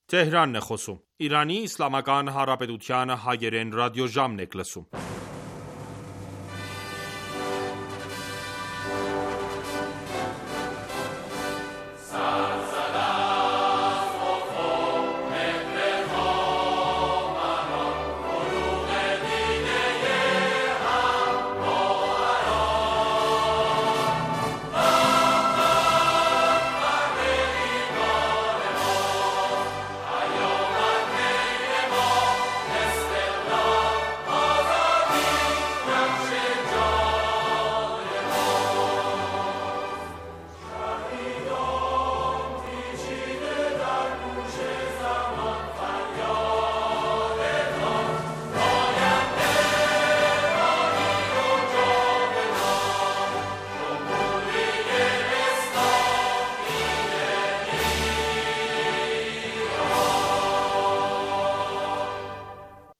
Տեհրանն է խոսում։ Իրանի Իսլամական Հանրապետության հայերեն ռադիոժամն եք լսում։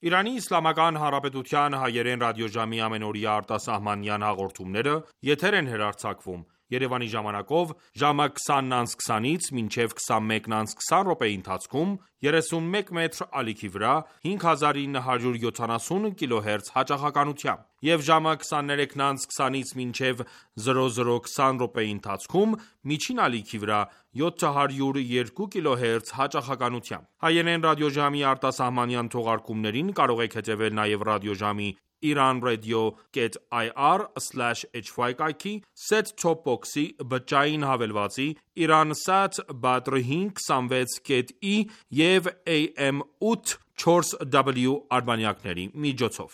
Իրանի Իսլամական Հանրապետության հայերեն ռադիոժամի ամենօրյա արտասահմանյան հաղորդումները եթեր են հեռարձակվում Երևանի ժամանակով ժամը 20:20-ից մինչև 21:20 րոպեի ընթացքում 31 մետր ալիքի վրա 5970 կիլոհերց հաճախականությամբ և ժամը 23:20-ից մինչև 00:20 րոպեի ընթացքում միջին ալիքի վրա 702 կիլոհերց հաճախականությամբ։ Հայերեն ռադիոժամի արտասահմանյան թողարկումներին կարող եք հետևել նաև ռադիոժամի iranradio.ir/hy կայքի, set-top box-ի, բջջային հավելվածի, Iransat Badr 526.e և AM 840W արբանյակների միջոցով։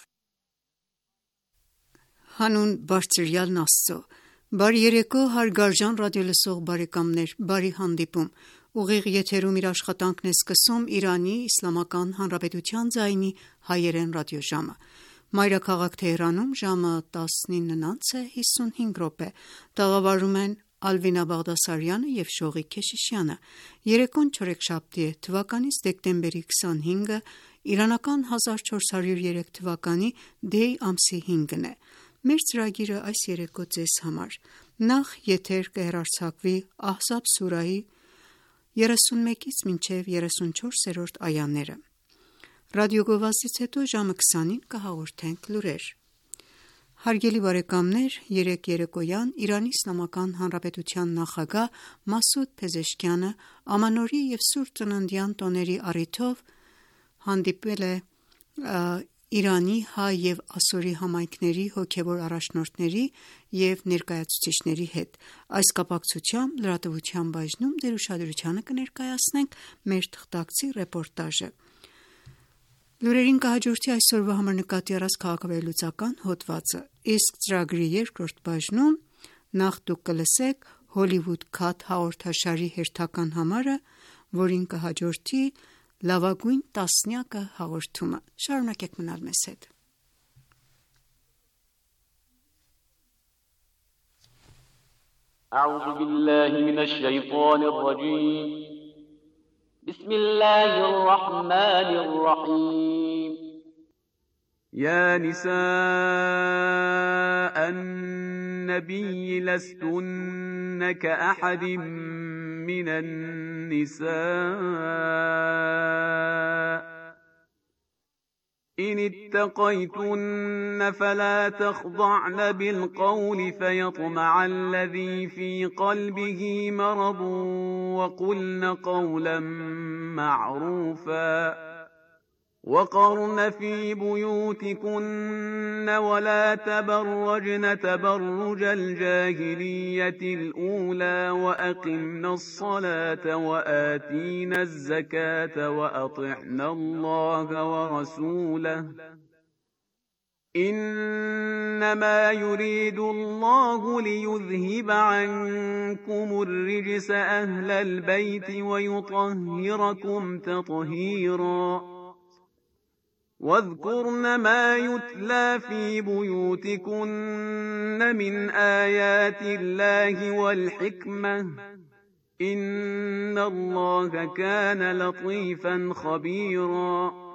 Հանուն Բարձրյալն Աստծո, բարի երեկո հարգարժան ռադիոլսող բարեկամներ, բարի հանդիպում։ Ուղիղ եթերում իր աշխատանքն է սկսում Իրանի Իսլամական Հանրապետության ձայնի հայերեն ռադիոժամը։ Մայրաքաղաք Թեհրանում ժամը 19:55 տաղավարում են Ալվինա Բաղդասարյանը և Շողիկ Քեշիշյանը։ Երեկոն չորեքշաբթի է, թվականից դեկտեմբերի 25-ը, իրանական 1403 թվականի դեյ ամսի 5-ն է։ Մեր ծրագիրը այս երեկո ձեզ համար նախ եթեր կհեռարձակվի Ահզաբ սուրահի 31-ից մինչև 34-րդ այաները։ Ռադիոգովազդից հետո ժամը 20-ին կհաղորդենք լուրեր։ Հարգելի բարեկամներ, երեկ երեկոյան Իրանի Իսլամական Հանրապետության նախագահ Մասուդ Փեզեշքյանը ամանորի և Սուրբ Ծննդյան տոների առիթով հանդիպել է Իրանի հայ և ասորի համայնքների հոգևոր առաջնորդների և ներկայացուցիչների հետ։ Այս կապակցությամբ լրատվության բաժնում դեր ուշադրությանը կներկայացնենք մեր թղթակցի ռեպորտաժը։ Լուրերին կհաջորդի այսօրվա համար նկատի առած քաղաքավարլուծական հոդվածը, իսկ ծրագրի երկրորդ բաժնում նախ դուք կլսեք Հոլիվուդ Քաթ հաղորդաշարի հերթական համարը, որին կհաջորդի լավագույն տասնյակը հաղորդումը։ Շարունակեք մնալ մեզ հետ։ أعوذ بالله من الشيطان الرجيم بسم الله الرحمن الرحيم يا نساء النبي لستن كأحد من النساء إن اتقيتن فلا تخضعن بالقول فيطمع الذي في قلبه مرض وقلن قولا معروفا وقرن في بيوتكن ولا تبرجن تبرج الجاهلية الأولى وأقمن الصلاة وآتينا الزكاة وأطعنا الله ورسوله إنما يريد الله ليذهب عنكم الرجس أهل البيت ويطهركم تطهيرا واذكرن ما يتلى في بيوتكن من آيات الله والحكمة إن الله كان لطيفا خبيرا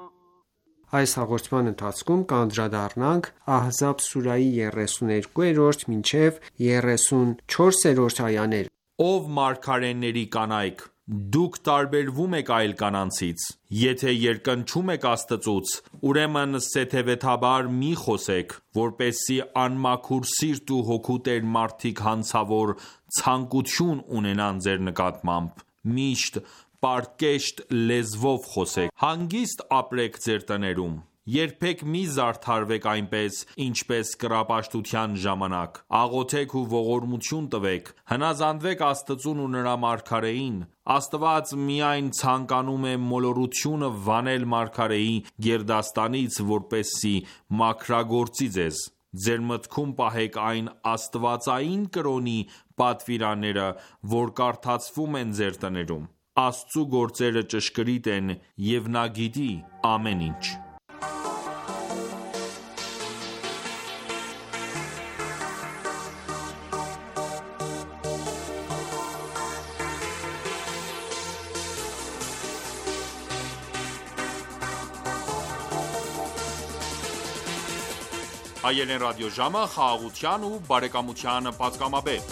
Այս հաղորդման ընթացքում կանդրադառնանք Ահզաբ սուրայի 32-րդ մինչև 34-րդ այաներ։ Ով մարգարեների կանայք, դուք տարբերվում եք այլ կանանցից, եթե երկնչում եք Աստծուց, ուրեմն սեթևեթաբար մի խոսեք, որպեսզի անմաքուր սիրտ ու հոգու տեր մարդիկ հանցավոր ցանկություն ունենան ձեր նկատմամբ, միշտ պարկեշտ լեզվով խոսեք, հանգիստ ապրեք ձեր տներում, երբեք մի զարդարվեք այնպես, ինչպես կռապաշտության ժամանակ, աղոթեք ու ողորմություն տվեք, հնազանդվեք Աստծուն ու նրա մարգարեին, Աստված միայն ցանկանում է մոլորությունը վանել մարգարեի գերդաստանից, որպեսզի մաքրագործի ձեզ, ձեր մտքում պահեք այն աստվածային կրոնի պատվիրանները, որ կարդացվում են ձեր տներում, Աստծու գործերը ճշգրիտ են և նա գիտի ամեն ինչ։ Հայերեն ռադիոժամը խաղաղության ու բարեկամության պատգամաբեր։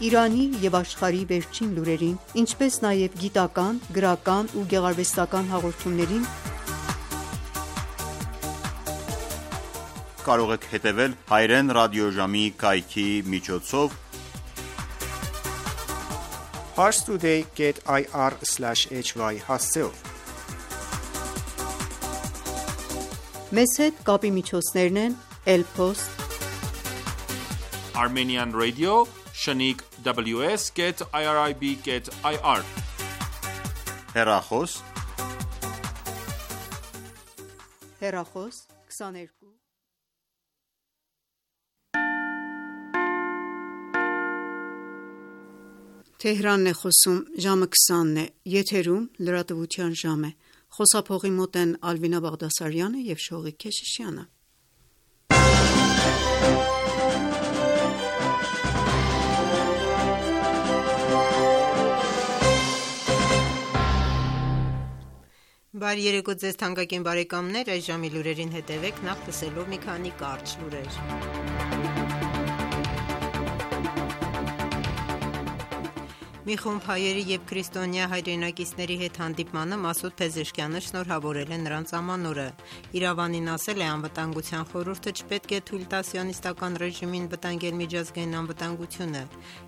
Իրանի և աշխարհի վերջին լուրերին, ինչպես նաև գիտական, գրական ու գեղարվեստական հաղորդումներին կարող եք հետևել Հայերեն ռադիոժամի կայքի միջոցով parstoday.ir/hy հասցեով։ Մեզ հետ կապի միջոցներն են Elpost, Armenian Radio, Shaniq WS.irib.ir հեռախոս հեռախոս 22 Թեհրանն է խոսում, ժամը 20-ն է, եթերում լրատվության ժամ է, խոսափողի մոտ են Ալվինա Բաղդասարյանը և Շողիկ Քեշիշյանը։ Բարի երեկո ձեզ թանկագին բարեկամներ, այս ժամի լուրերին հետևեք, նախ լսելով մի քանի կարճ լուրեր։ Մի խումբ հայերի և քրիստոնյա հայրենակիցների հետ հանդիպմանը Մասուդ Փեզեշքյանը շնորհավորել է նրանց ամանորը։ Իրավանին ասել է, անվտանգության խորհուրդը չպետք է թույլ տա սիոնիստական ռեժիմին վտանգել միջազգային անվտանգությունը։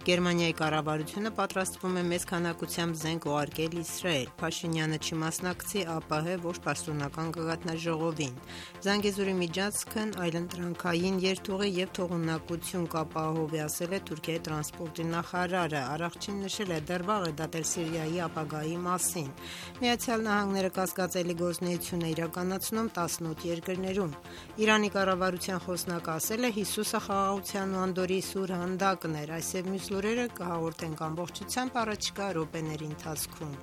Գերմանիայի կառավարությունը պատրաստվում է մեծ քանակությամբ զենք ուղարկել Իսրայել։ Փաշինյանը չի մասնակցի ԱՊՀ ոչ պաշտոնական գագաթնաժողովին։ Զանգեզուրի միջանցքն այլընտրանքային երթուղի և թողունակություն կապահովի, ասել է Թուրքիայի տրանսպորտի նախարարը։ Առողջին նշել է դեռ վաղ է դատել Սիրիայի ապագայի մասին։ Միացյալ Նահանգները կասկածելի գործունեություն է իրականացնում 18 երկրներում։ Իրանի կառավարության խոսնակը ասել է, Հիսուսը խաղաղության ու անդորրի սուր հանդակն էր։ Այս և մյուս լուրերը կհաղորդենք ամբողջությամբ առաջիկա րոպեների ընթացքում։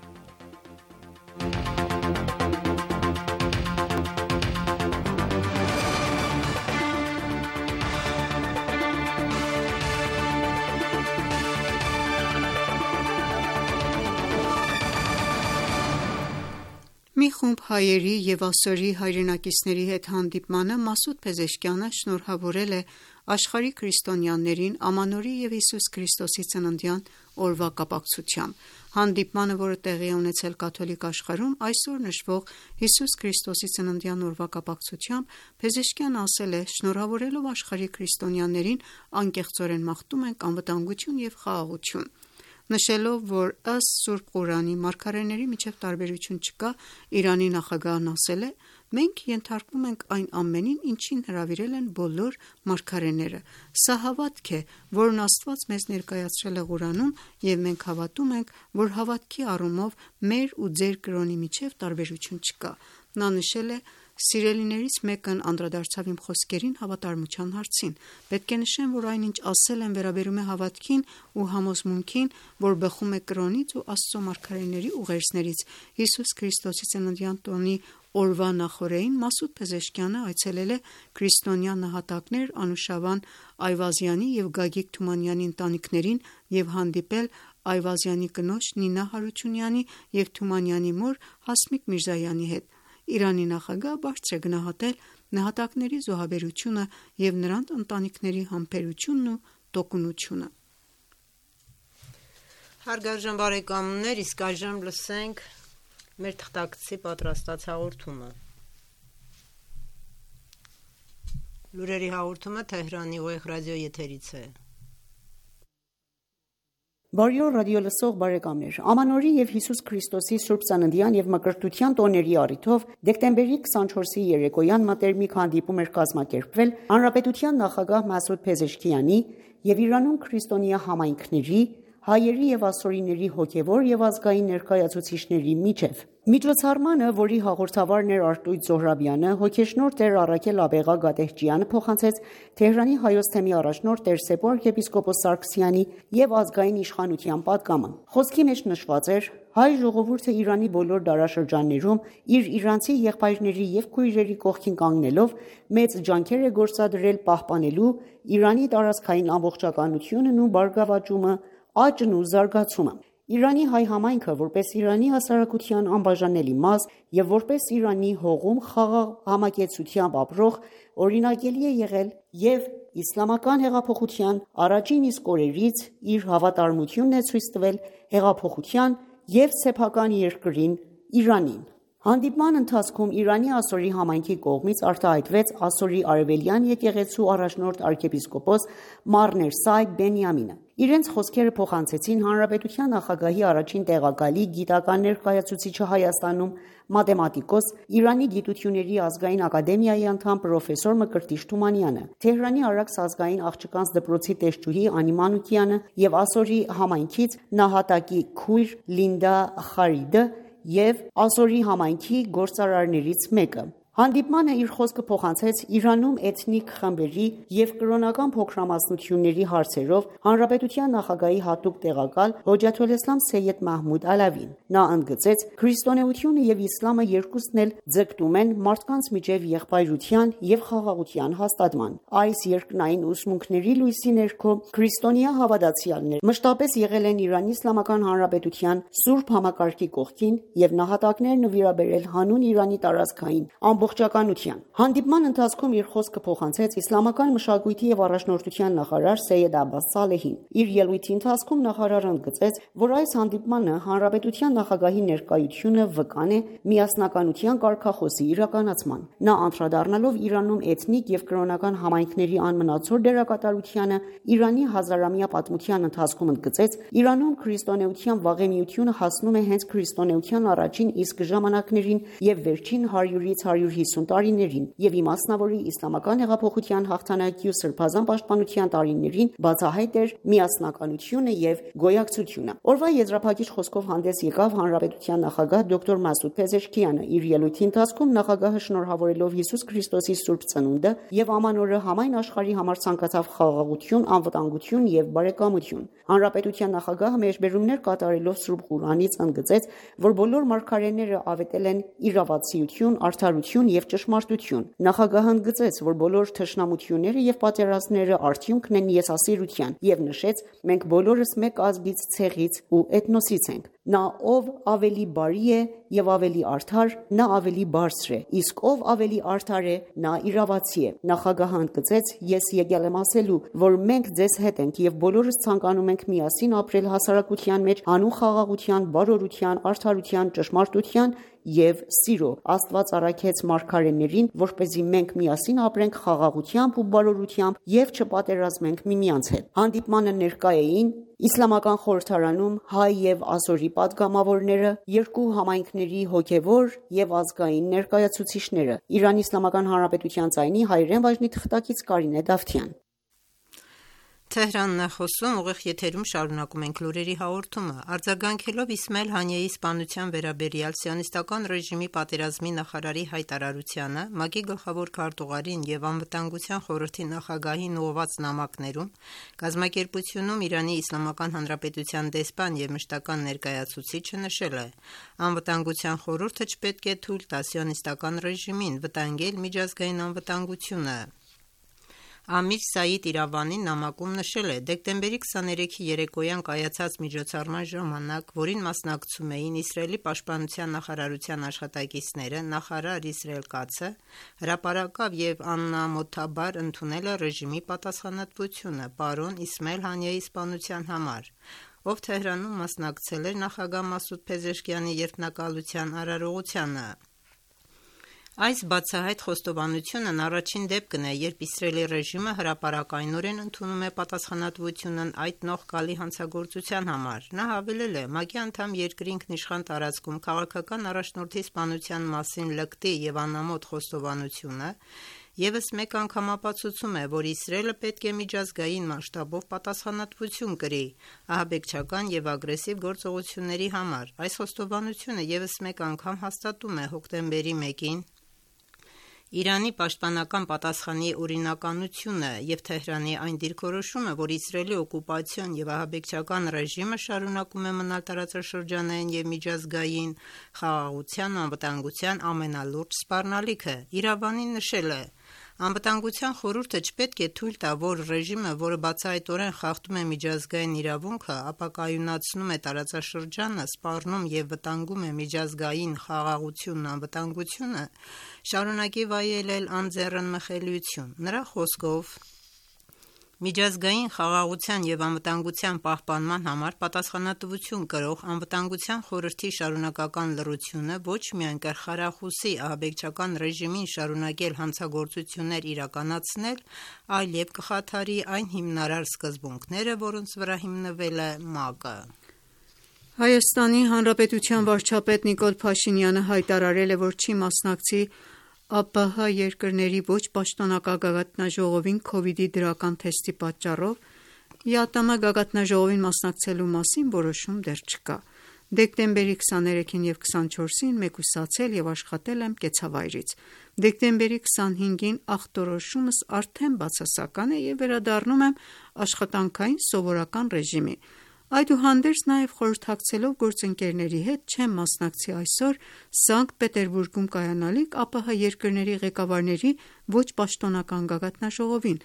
Մի խումբ հայերի և ասորի հայրենակիցների հետ հանդիպմանը Մասուդ Փեզեշքյանը շնորհավորել է աշխարհի քրիստոնյաներին ամանորի և Հիսուս Քրիստոսի ծննդյան օրվա կապակցությամբ։ Հանդիպմանը, որը տեղի է ունեցել կաթոլիկ աշխարհում այսօր նշվող Հիսուս Քրիստոսի ծննդյան օրվա կապակցությամբ, Փեզեշքյանը ասել է. «Շնորհավորելով աշխարհի քրիստոնյաներին, անկեղծորեն մաղթում ենք անվտանգություն և խաղաղություն»։ Նշելով, որ ըստ Սուրբ Ղուրանի մարգարեների միջև տարբերություն չկա, Իրանի նախագահն ասել է. «Մենք ենթարկվում ենք այն ամենին, ինչին հրավիրել են բոլոր մարգարեները։ Սա հավատք է, որն Աստված մեզ ներկայացրել է Ղուրանում, և մենք հավատում ենք, որ հավատքի առումով մեր ու ձեր կրոնի միջև տարբերություն չկա»։ Նա նշել է. «Սիրելիներից մեկն անդրադարձավ իմ խոսքերին հավատարմության հարցին։ Պետք է նշեմ, որ այն, ինչ ասել եմ, վերաբերում է հավատքին ու համոզմունքին, որ բխում է կրոնից ու Աստծո մարգարեների ուղերձներից»։ Հիսուս Քրիստոսի ծննդյան տոնի օրվա նախօրեին Մասուդ Փեզեշքյանը այցելել է քրիստոնյա նահատակներ Անուշավան Այվազյանի և Գագիկ Թումանյանի ընտանիքներին և հանդիպել Այվազյանի կնոջ Նինա Հարությունյանի և Թումանյանի մոր Հասմիկ Միրզայանի հետ։ Իրանի նախագահը բարձր է գնահատել նահատակների զոհաբերությունը և նրանց ընտանիքների համբերությունն ու տոկունությունը։ Հարգարժան բարեկամներ, իսկ այժմ լսենք մեր թղթակցի պատրաստած հաղորդումը։ Լուրերի հաղորդումը Թեհրանի ուղիղ ռադիոյի եթերից է։ Բարի օր ռադիոլսող բարեկամներ, Ամանորի և Հիսուս Քրիստոսի Սուրբ Ծննդյան և Մկրտության տոների առիթով դեկտեմբերի 24-ի երեկոյան մտերմիկ հանդիպում էր կազմակերպվել Հանրապետության նախագահ Մասուդ Փեզեշքյանի և Իրանում քրիստոնյա համայնքների, հայերի և ասորիների հոգևոր և ազգային ներկայացուցիչների միջև։ Միջոցառմանը, որի հաղորդավարն էր Արտույտ Զոհրաբյանը, հոգեշնորհ Տեր Առաքել Աբեղա Գատեհճյանը փոխանցեց Թեհրանի Հայոց թեմի առաջնորդ Տեր Սեփո arczepiskopos Սարգսյանի և ազգային իշխանության պատգամը։ Խոսքի մեջ նշված էր. «Հայ ժողովուրդը Իրանի բոլոր դարաշրջաններում իր իրանցի եղբայրների և քույրերի կողքին կանգնելով մեծ ջանքեր է գործադրել պահպանելու Իրանի տարածքային ամբողջականությունն ու բարգավաճումը, աճն ու զարգացումը։ Իրանի հայ համայնքը, որպես Իրանի հասարակության անբաժանելի մաս և որպես Իրանի հողում խաղաղ համակեցությամբ ապրող, օրինակելի է եղել և իսլամական հեղափոխության առաջին իսկ օրերից իր հավատարմությունն է ցույց տվել հեղափոխության և սեփական երկրին Իրանին»։ Հանդիպման ընթացքում Իրանի ասորի համայնքի կողմից արտահայտվեց ասորի արևելյան եկեղեցու առաջնորդ arczepiskopos Մառ Ներսայ Բենյամինը։ Իրենց խոսքերը փոխանցեցին Հանրապետության նախագահի առաջին տեղակալի, գիտական ներկայացուցիչը Հայաստանում, մաթեմատիկոս, Իրանի գիտությունների ազգային ակադեմիայի անդամ պրոֆեսոր Մկրտիչ Թումանյանը, Թեհրանի Արաքս ազգային աղջկանց դպրոցի տեսչուհի Անի Մանուկյանը և ասորի համայնքից նահատակի քույր Լինդա Խարիդը և ասորի համայնքի գործարարներից մեկը։ Հանդիպմանը իր խոսքը փոխանցեց Իրանում էթնիկ խմբերի և կրոնական փոքրամասնությունների հարցերով Հանրապետության նախագահի հատուկ տեղակալ Հոջաթոլէսլամ Սեյեդ Մահմուդ Ալավին։ Նա ընդգծեց. «Քրիստոնեությունը և իսլամը երկուսն էլ ձգտում են մարդկանց միջև եղբայրության և խաղաղության հաստատման։ Այս երկնային ուսմունքների լույսի ներքո քրիստոնյա հավատացյալներ մշտապես եղել են Իրանի Իսլամական Հանրապետության սուրբ համակարգի կողքին և նահատակներ նվիրաբերել հանուն Իրանի տարածքային ամբողջականության»։ Հանդիպման ընթացքում իր խոսքը փոխանցեց իսլամական մշակույթի և առաջնորդության նախարար Սեյեդ Աբբաս Սալեհին։ Իր ելույթի ընթացքում նախարարը ընդգծեց, որ այս հանդիպմանը հանրապետության նախագահի ներկայությունը վկան է միասնականության կարգախոսի իրականացման։ Նա անդրադառնալով Իրանում էթնիկ և կրոնական համայնքների անմնացոր դերակատարությանը Իրանի հազարամյա պատմության ընթացքում ընդգծեց. «Իրանում քրիստոնեության վաղեմիությունը հասնում է հենց քրիստոնեության առաջին իսկ ժամանակներին և վերջին 100-ից 150 տարիներին և իմասնավորի իսլամական հեղափոխության հաղթանակի ու սրբազան պաշտպանության տարիներին բացահայտ էր միասնականությունը և գոյակցությունը»։ Օրվա եզրափակիչ խոսքով հանդես եկավ հանրապետության նախագահ դոկտոր Մասուդ Փեզեշքյանը։ Իր ելույթի ընթացքում նախագահը շնորհավորելով Հիսուս Քրիստոսի Սուրբ Ծնունդը և Ամանորը համայն աշխարհի համար ցանկացավ խաղաղություն, անվտանգություն և բարեկամություն։ Հանրապետության նախագահը մեջբերումներ կատարելով Սուրբ Ղուրանից ընդգծեց, որ բոլոր մարգարեները ավետել են իրավացիություն, արդարություն և ճշմարտություն։ Նախագահը ընդգծեց, որ բոլոր թշնամությունները և պատերազմները արդյունքն են եսասիրության և նշեց. «Մենք բոլորս մեկ ազգից, ցեղից ու էթնոսից ենք»։ Նա ով ավելի բարի է և ավելի արդար, նա ավելի բարձր է, իսկ ով ավելի արդար է, նա իրավացի է։ Նախագահը ընդգծեց. «Ես եկել եմ ասելու, որ մենք ձեզ հետ ենք և բոլորս ցանկանում ենք միասին ապրել հասարակության մեջ հանուն խաղաղության, բարօրության, արդարության, ճշմարտության և սիրո։ Աստված առաքեց մարգարեներին, որպեսզի մենք միասին ապրենք խաղաղությամբ ու բարօրությամբ և չպատերազմենք միմյանց հետ»։ Հանդիպմանը ներկա էին Իսլամական խորհրդարանում հայ և ազորի պատգամավորները, երկու համայնքների հոգևոր և ազգային ներկայացուցիչները։ Իրանի Իսլամական Հանրապետության ձայնի հայերեն բաժնի թղթակից Կարինե Դավթյան։ Շարունակում ենք լուրերի հաղորդումը։ Արձագանքելով Իսմայել Հանիեի սպանության վերաբերյալ Սիոնիստական ռեժիմի պատերազմի նախարարի հայտարարությանը, ՄԱԿ-ի գլխավոր քարտուղարին և Անվտանգության խորհրդի նախագահին ուղղված նամակներում, կազմակերպությունում Իրանի Իսլամական Հանրապետության դեսպան և մշտական ներկայացուցիչը նշել է. «Անվտանգության խորհուրդը չպետք է թույլ տա Սիոնիստական ռեժիմին վտանգել միջազգային անվտանգությունը»։ Ամիր Սաիդ Իրավանին նամակում նշել է. «Դեկտեմբերի 23-ի երեկոյան կայացած միջոցառման ժամանակ, որին մասնակցում էին Իսրայելի պաշտպանության նախարարության աշխատակիցները, նախարար Իսրայել Կացը հրապարակավ և անամոթաբար ընդունել է ռեժիմի պատասխանատվությունը պարոն Իսմայել Հանիեի սպանության համար, ով Թեհրանում մասնակցել էր նախագահ Մասուդ Փեզեշքիանի երդմնակալության արարողությանը։ Այս բացահայտ խոստովանությունն առաջին դեպքն է, երբ Իսրայելի ռեժիմը հրապարակայնորեն ընդունում է պատասխանատվությունն այդ նողկալի հանցագործության համար։ Նա հավելել է. «ՄԱԿ-ի անդամ երկրի ինքնիշխան տարածքում քաղաքական առաջնորդի սպանության մասին լկտի և անամոթ խոստովանությունը ևս մեկ անգամ ապացուցում է, որ Իսրայելը պետք է միջազգային մասշտաբով պատասխանատվություն կրի ահաբեկչական և ագրեսիվ գործողությունների համար։ Այս խոստովանությունը ևս մեկ անգամ հաստատում է հոկտեմբերի 1-ին Իրանի պաշտպանական պատասխանի օրինականությունը և Թեհրանի այն դիրքորոշումը, որ Իսրայելի օկուպացիոն և ահաբեկչական ռեժիմը շարունակում է մնալ տարածաշրջանային և միջազգային խաղաղության ու անվտանգության ամենալուրջ սպառնալիքը»։ Իրավանին նշել է. «Անվտանգության խորհուրդը չպետք է թույլ տա, որ ռեժիմը, որը բացահայտորեն խախտում է միջազգային իրավունքը, ապակայունացնում է տարածաշրջանը, սպառնում և վտանգում է միջազգային խաղաղությունն ու անվտանգությունը, շարունակի վայելել անձեռն մխելիություն»։ Նրա խոսքով, միջազգային խաղաղության և անվտանգության պահպանման համար պատասխանատվություն կրող Անվտանգության խորհրդի շարունակական լռությունը ոչ միայն կխրախուսի ահաբեկչական ռեժիմին շարունակել հանցագործություններ իրականացնել, այլև կխաթարի այն հիմնարար սկզբունքները, որոնց վրա հիմնվել է ՄԱԿ-ը։ Հայաստանի Հանրապետության վարչապետ Նիկոլ Փաշինյանը հայտարարել է, որ չի մասնակցի ԱՊՀ երկրների ոչ պաշտոնական գագաթնաժողովին քովիդի դրական թեստի պատճառով։ ԵԱՏՄ գագաթնաժողովին մասնակցելու մասին որոշում դեռ չկա։ Դեկտեմբերի 23-ին և 24-ին մեկուսացել և աշխատել եմ կեցավայրից։ Դեկտեմբերի 25-ին ախտորոշումս արդեն բացասական է և վերադառնում եմ աշխատանքային սովորական ռեժիմի։ Այդուհանդերձ նաև խորհրդակցելով գործընկերների հետ չեմ մասնակցի այսօր Սանկտ Պետերբուրգում կայանալիք ԱՊՀ երկրների ղեկավարների ոչ պաշտոնական գագաթնաժողովին։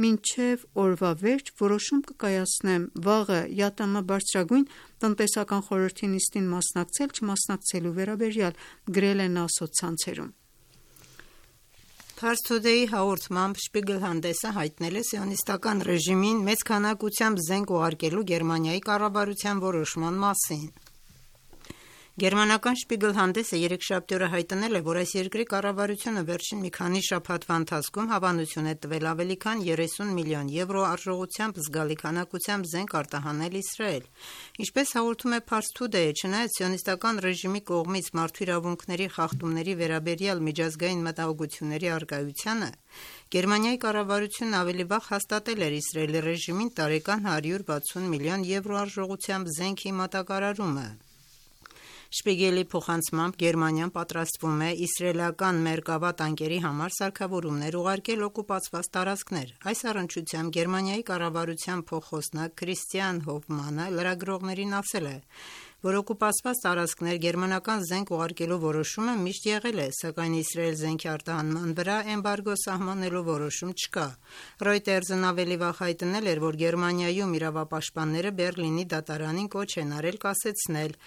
Մինչև օրվա վերջ որոշում կկայացնեմ վաղը ԵԱՏՄ բարձրագույն տնտեսական խորհրդի նիստին մասնակցել-չմասնակցելու վերաբերյալ, գրել է նա սոցցանցերում։ Pars Today-ի հաղորդմամբ Շպիգլ հանդեսը հայտնել է սիոնիստական ռեժիմին մեծ քանակությամբ զենք ուղարկելու Գերմանիայի կառավարության որոշման մասին։ Գերմանական Շպիգլ հանդեսը երեքշաբթի օրը հայտնել է, որ այս երկրի կառավարությունը վերջին մի քանի շաբաթվա ընթացքում հավանություն է տվել ավելի քան 30 միլիոն եվրո արժողությամբ զգալի քանակությամբ զենք արտահանել Իսրայել։ Ինչպես հաղորդում է Pars Today-ը, չնայած սիոնիստական ռեժիմի կողմից մարդու իրավունքների խախտումների վերաբերյալ միջազգային մտահոգությունների առկայությանը, Գերմանիայի կառավարությունն ավելի վաղ հաստատել էր Իսրայելի ռեժիմին տարեկան 160 միլիոն եվրո արժողությամբ զենքի մատակարարումը։ Շպիգելի փոխանցմամբ Գերմանիան պատրաստվում է իսրայելական մերկավա տանկերի համար սարքավորումներ ուղարկել օկուպացված տարածքներ։ Այս առնչությամբ Գերմանիայի կառավարության փոխխոսնակ Քրիստիան Հոֆմանը լրագրողներին ասել է, որ օկուպացված տարածքներ գերմանական զենք ուղարկելու որոշումը միշտ եղել է, սակայն Իսրայել զենքի արտահանման վրա էմբարգո սահմանելու որոշում չկա։ Reuters-ն ավելի վաղ հայտնել էր, որ Գերմանիայում իրավապաշտպանները Բեռլինի դատարանին կոչ են արել կասեցնել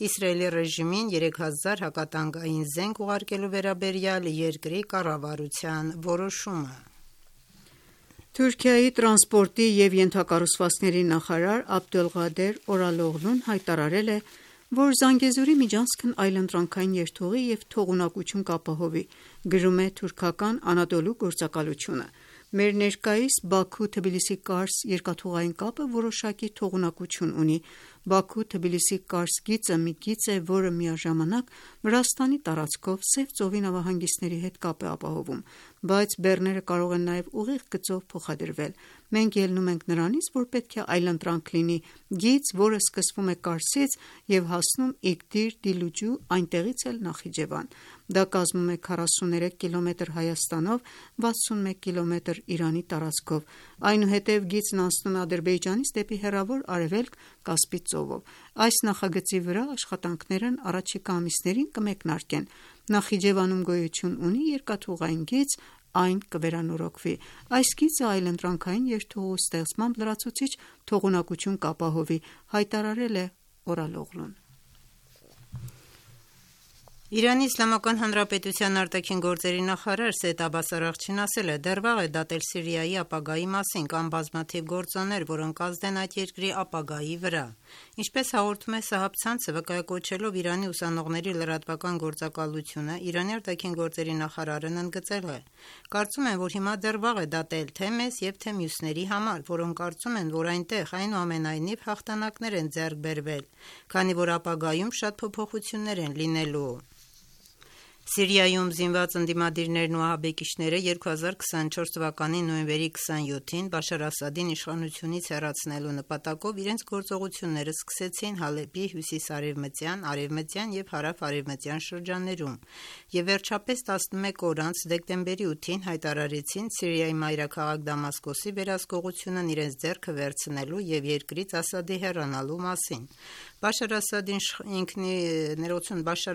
Իսրայելի ռեժիմին 3000 հակատանկային զենք ուղարկելու վերաբերյալ երկրի կառավարության որոշումը։ Թուրքիայի տրանսպորտի և ենթակառուցվածքների նախարար Աբդոլղադեր Օրալօղլուն հայտարարել է, որ Զանգեզուրի միջանցքն այլընտրանքային երթուղի և թողունակություն կապահովի, գրում է թուրքական Անադոլու գործակալությունը։ Մեր ներկայիս Բաքու-Թբիլիսի-Կարս երկաթուղային կապը որոշակի թողունակություն ունի։ Բաքու-Թբիլիսի-Կարս գիծը մի գիծ է, որը միաժամանակ Վրաստանի տարածքով Սև ծովի նավահանգիստների հետ կապ է ապահովում, բայց բեռները կարող են նաև ուղիղ գծով փոխադրվել։ Մենք ելնում ենք նրանից, որ պետք է այլընտրանք լինի գիծ, որը սկսվում է Կարսից և հասնում Իգդիր Դիլուջու, այնտեղից էլ Նախիջևան։ Դա կազմում է 43 կիլոմետր Հայաստանով, 61 կիլոմետր Իրանի տարածքով։ Այնուհետև գիծն անցնում է Ադրբեջանից դեպի հեռավոր արևելք Կասպից ծովով։ Այս նախագծի վրա աշխատանքներն առաջիկա ամիսներին կմեկնարկեն։ Նախիջևանում գոյություն ունի երկաթուղային գիծ, այն կվերանորոգվի։ Այս գիծը այլընտրանքային երթուղու ստեղծմամբ լրացուցիչ թողունակություն կապահովի, հայտարարել է Օրալօղլուն։ Իրանի Իսլամական Հանրապետության արտաքին գործերի նախարար Սեյեդ Աբբաս Արաղչին ասել է. դեռ վաղ է դատել Սիրիայի ապագայի մասին, կան բազմաթիվ գործոններ, որոնք կազդեն այդ երկրի ապագայի վրա։ Ինչպես հաղորդում է Սահաբ ցանցը, վկայակոչելով Իրանի ուսանողների լրատվական գործակալությունը, Իրանի արտաքին գործերի նախարարն ընդգծել է. կարծում եմ, որ հիմա դեռ վաղ է դատել թե մեզ և թե մյուսների համար, որոնք կարծում են, որ այնտեղ այնուամենայնիվ հաղթանակներ են ձեռք բերվել, քանի որ ապագայում շատ փոփոխություններ են լինելու։ Սիրիայում զինված ընդդիմադիրներն ու ահաբեկիչները 2024 թվականի նոյեմբերի 27-ին Բաշար Ասադին իշխանությունից հեռացնելու նպատակով իրենց գործողությունները սկսեցին Հալեպի հյուսիս-արևմտյան, արևմտյան և հարավ-արևմտյան շրջաններում և վերջապես 11 օր անց դեկտեմբերի 8-ին հայտարարեցին Սիրիայի մայրաքաղաք Դամասկոսի վերահսկողությունն իրենց ձեռքը վերցնելու և երկրից Ասադի հեռանալու մասին։ Բաշար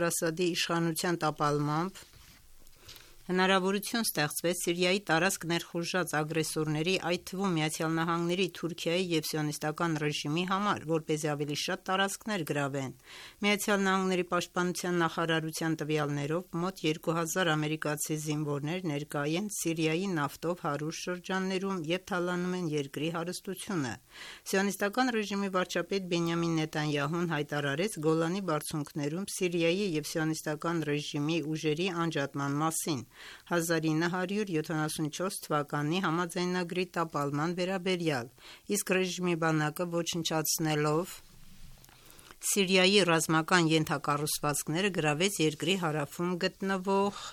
Ասադի իշխանության տապալմամբ հնարավորություն ստեղծվեց Սիրիայի տարածք ներխուժած ագրեսորների, այդ թվում ԱՄՆ-ի, Թուրքիայի և սիոնիստական ռեժիմի համար, որպեսզի ավելի շատ տարածքներ գրավեն։ ԱՄՆ-ի պաշտպանության նախարարության տվյալներով մոտ 2000 ամերիկացի զինվորներ ներկա են Սիրիայի նավթով հարուստ շրջաններում և թալանում են երկրի հարստությունը։ Սիոնիստական ռեժիմի վարչապետ Բենյամին Նեթանյահուն հայտարարեց Գոլանի բարձունքներում Սիրիայի և սիոնիստական ռեժիմի ուժերի անջատման մասին 1974 թվականի համաձայնագրի տապալման վերաբերյալ, իսկ ռեժիմի բանակը ոչնչացնելով Սիրիայի ռազմական ենթակառուցվածքները գրավեց երկրի հարավում գտնվող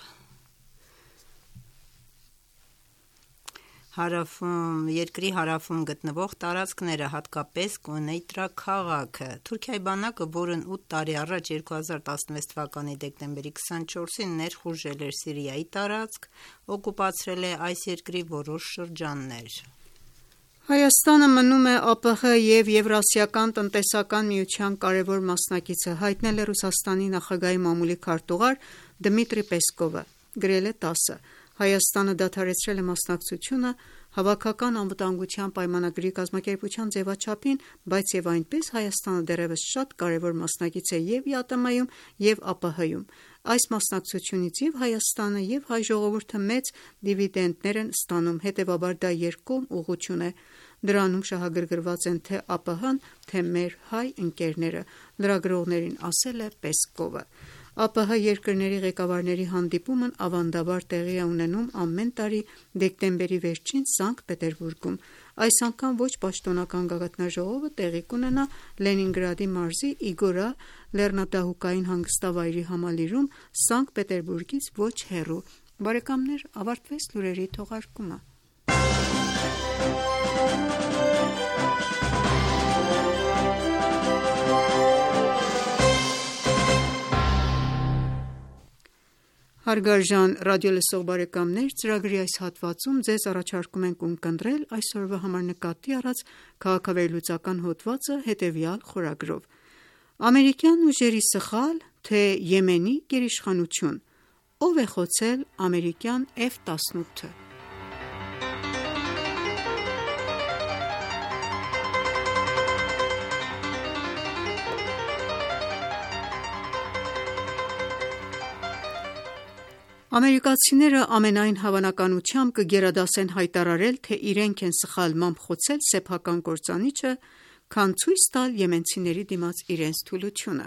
տարածքները, հատկապես Կոնեյտրա քաղաքը։ Թուրքիայի բանակը, որն 8 տարի առաջ 2016 թվականի դեկտեմբերի 24-ին ներխուժել էր Սիրիայի տարածք, օկուպացրել է այս երկրի որոշ շրջաններ։ Հայաստանը մնում է ԱՊՀ և Եվրասիական տնտեսական միության կարևոր մասնակիցը, հայտնել է Ռուսաստանի նախագահի մամուլի քարտուղար Դմիտրի Պեսկովը, գրել է ՏԱՍՍ-ը։ Հայաստանը դադարեցրել է մասնակցությունը Հավաքական անվտանգության պայմանագրի կազմակերպության ձևաչափին, բայց և այնպես Հայաստանը դեռևս շատ կարևոր մասնակից է և ԵԱՏՄ-ում, և ԱՊՀ-ում։ Այս մասնակցությունից և Հայաստանը, և հայ ժողովուրդը մեծ դիվիդենտներ են ստանում, հետևաբար դա երկկողմ ուղղություն է։ Դրանում շահագրգռված են թե ԱՊՀ-ն, թե մեր հայ ընկերները, լրագրողներին ասել է Պեսկովը։ ԱՊՀ երկրների ղեկավարների հանդիպումն ավանդաբար տեղի է ունենում ամեն տարի դեկտեմբերի վերջին Սանկտ Պետերբուրգում։ Այս անգամ ոչ պաշտոնական գագաթնաժողովը տեղի կունենա Լենինգրադի մարզի Իգորա լեռնադահուկային հանգստավայրի համալիրում Սանկտ Պետերբուրգից ոչ հեռու։ Բարեկամներ, ավարտվեց լուրերի թողարկումը։ Հարգարժան ռադիոլսող բարեկամներ, ծրագրի այս հատվածում ձեզ առաջարկում ենք ունկնդրել այսօրվա համար նկատի առած քաղաքավերլուծական հոդվածը հետևյալ խորագրով. Ամերիկյան ուժերի սխալ, թե Եմենի գերիշխանություն: Ով է խոցել ամերիկյան F-18-ը: Ամերիկացիները ամենայն հավանականությամբ կգերադասեն հայտարարել, թե իրենք են սխալմամբ խոցել սեփական կործանիչը, քան ցույց տալ եմենցիների դիմաց իրենց թուլությունը: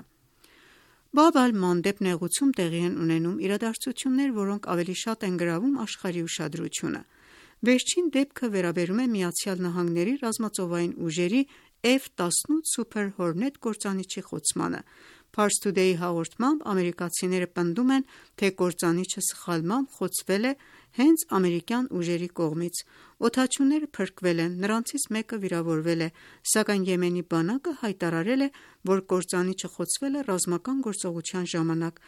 Բաբ ալ-Մանդեբ նեղուցում տեղի են ունենում իրադարձություններ, որոնք ավելի շատ են գրավում աշխարհի ուշադրությունը: Վերջին դեպքը վերաբերում է ԱՄՆ-ի ռազմածովային ուժերի F-18 Super Hornet կործանիչի խոցմանը: Pars Today-ի հաղորդմամբ ամերիկացիները պնդում են, թե կործանիչը սխալմամբ խոցվել է հենց ամերիկյան ուժերի կողմից: Օդաչուները փրկվել են, նրանցից մեկը վիրավորվել է, սակայն Եմենի բանակը հայտարարել է, որ կործանիչը խոցվել է ռազմական գործողության ժամանակ: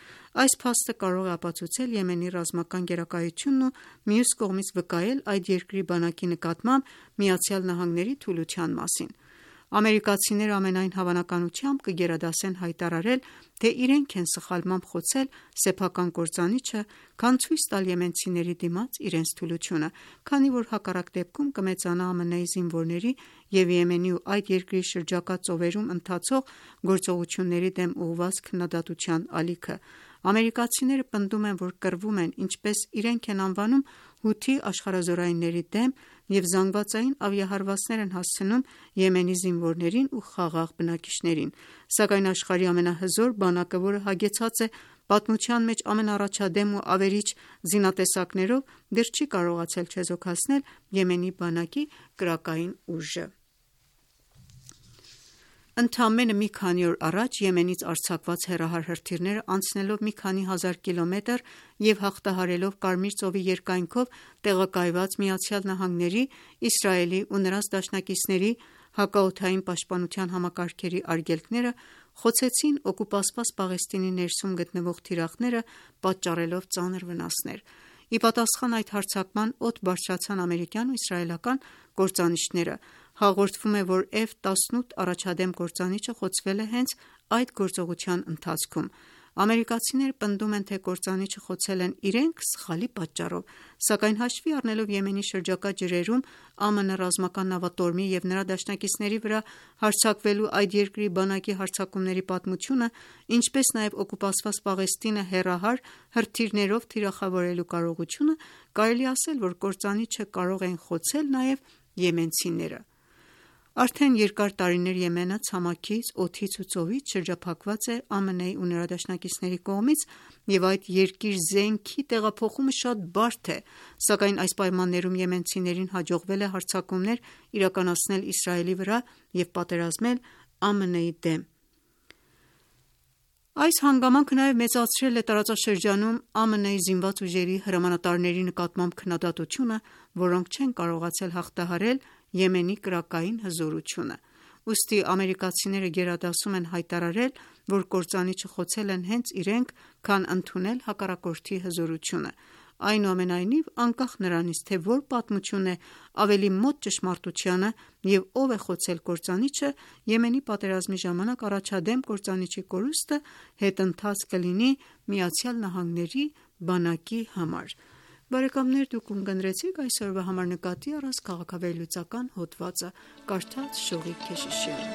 Այս փաստը կարող է ապացուցել Եմենի ռազմական գերակայությունն ու մյուս կողմից վկայել այդ երկրի բանակի նկատմամբ ԱՄՆ-ի թուլության մասին: Ամերիկացիները ամենայն հավանականությամբ կգերադասեն հայտարարել, թե իրենք են սխալմամբ խոցել սեփական կործանիչը, քան ցույց տալ եմենցիների դիմաց իրենց թուլությունը, քանի որ հակառակ դեպքում կմեծանա ԱՄՆ-ի զինվորների և Եմենի ու այդ երկրի շրջակա ծովերում ընթացող գործողությունների դեմ ուղղված քննադատության ալիքը: Ամերիկացիները պնդում են, որ կռվում են, ինչպես իրենք են անվանում, Հութի աշխարհազորայինների դեմ և զանգվածային ավիահարվածներ են հասցնում Եմենի զինվորներին ու խաղաղ բնակիչներին: Սակայն աշխարհի ամենահզոր բանակը, որը հագեցած է պատմության մեջ ամենաառաջադեմ ու ավերիչ զինատեսակներով, դեռ չի կարողացել չեզոքացնել Եմենի բանակի կրակային ուժը: Ընդամենը մի քանի օր առաջ Եմենից արձակված հեռահար հրթիռները, անցնելով մի քանի հազար կիլոմետր և հաղթահարելով Կարմիր ծովի երկայնքով տեղակայված ԱՄՆ-ի, Իսրայելի ու նրանց դաշնակիցների հակաօդային պաշտպանության համակարգերի արգելքները, խոցեցին օկուպացված Պաղեստինի ներսում գտնվող թիրախները, պատճառելով ծանր վնասներ: Ի պատասխան այդ հարձակման, օդ բարձրացան ամերիկյան ու իսրայելական կործանիչները: Հաղորդվում է, որ F-18 առաջադեմ կործանիչը խոցվել է հենց այդ գործողության ընթացքում: Ամերիկացիները պնդում են, թե կործանիչը խոցել են իրենք սխալի պատճառով, սակայն հաշվի առնելով Եմենի շրջակա ջրերում ԱՄՆ ռազմական նավատորմի և նրա դաշնակիցների վրա հարձակվելու այդ երկրի բանակի հարձակումների պատմությունը, ինչպես նաև օկուպացված Պաղեստինը հեռահար հրթիռներով թիրախավորելու կարողությունը, կարելի է ասել, որ կործանիչը կարող էին խոցել նաև եմենցիները: Արդեն երկար տարիներ Եմենը ցամաքից, օդից ու ծովից շրջափակված է ԱՄՆ-ի ու նրա դաշնակիցների կողմից և այդ երկիր զենքի տեղափոխումը շատ բարդ է, սակայն այս պայմաններում եմենցիներին հաջողվել է հարձակումներ իրականացնել Իսրայելի վրա և պատերազմել ԱՄՆ-ի դեմ: Այս հանգամանքը նաև մեծացրել է տարածաշրջանում ԱՄՆ-ի զինված ուժերի հրամանատարների նկատմամբ քննադատությունը, որոնք չեն կարողացել հաղթահարել Եմենի կրակային հզորությունը: Ուստի ամերիկացիները գերադասում են հայտարարել, որ կործանիչը խոցել են հենց իրենք, քան ընդունել հակառակորդի հզորությունը: Այնուամենայնիվ, անկախ նրանից, թե որ պատմությունն է ավելի մոտ ճշմարտությանը և ով է խոցել կործանիչը, Եմենի պատերազմի ժամանակ առաջադեմ կործանիչի կորուստը հետընթաց կլինի ԱՄՆ-ի բանակի համար: Դուք ունկնդրեցիք այսօրվա համար նկատի առած քաղաքավերլուծական հոդվածը: Կարդաց Շողիկ Քեշիշյանը: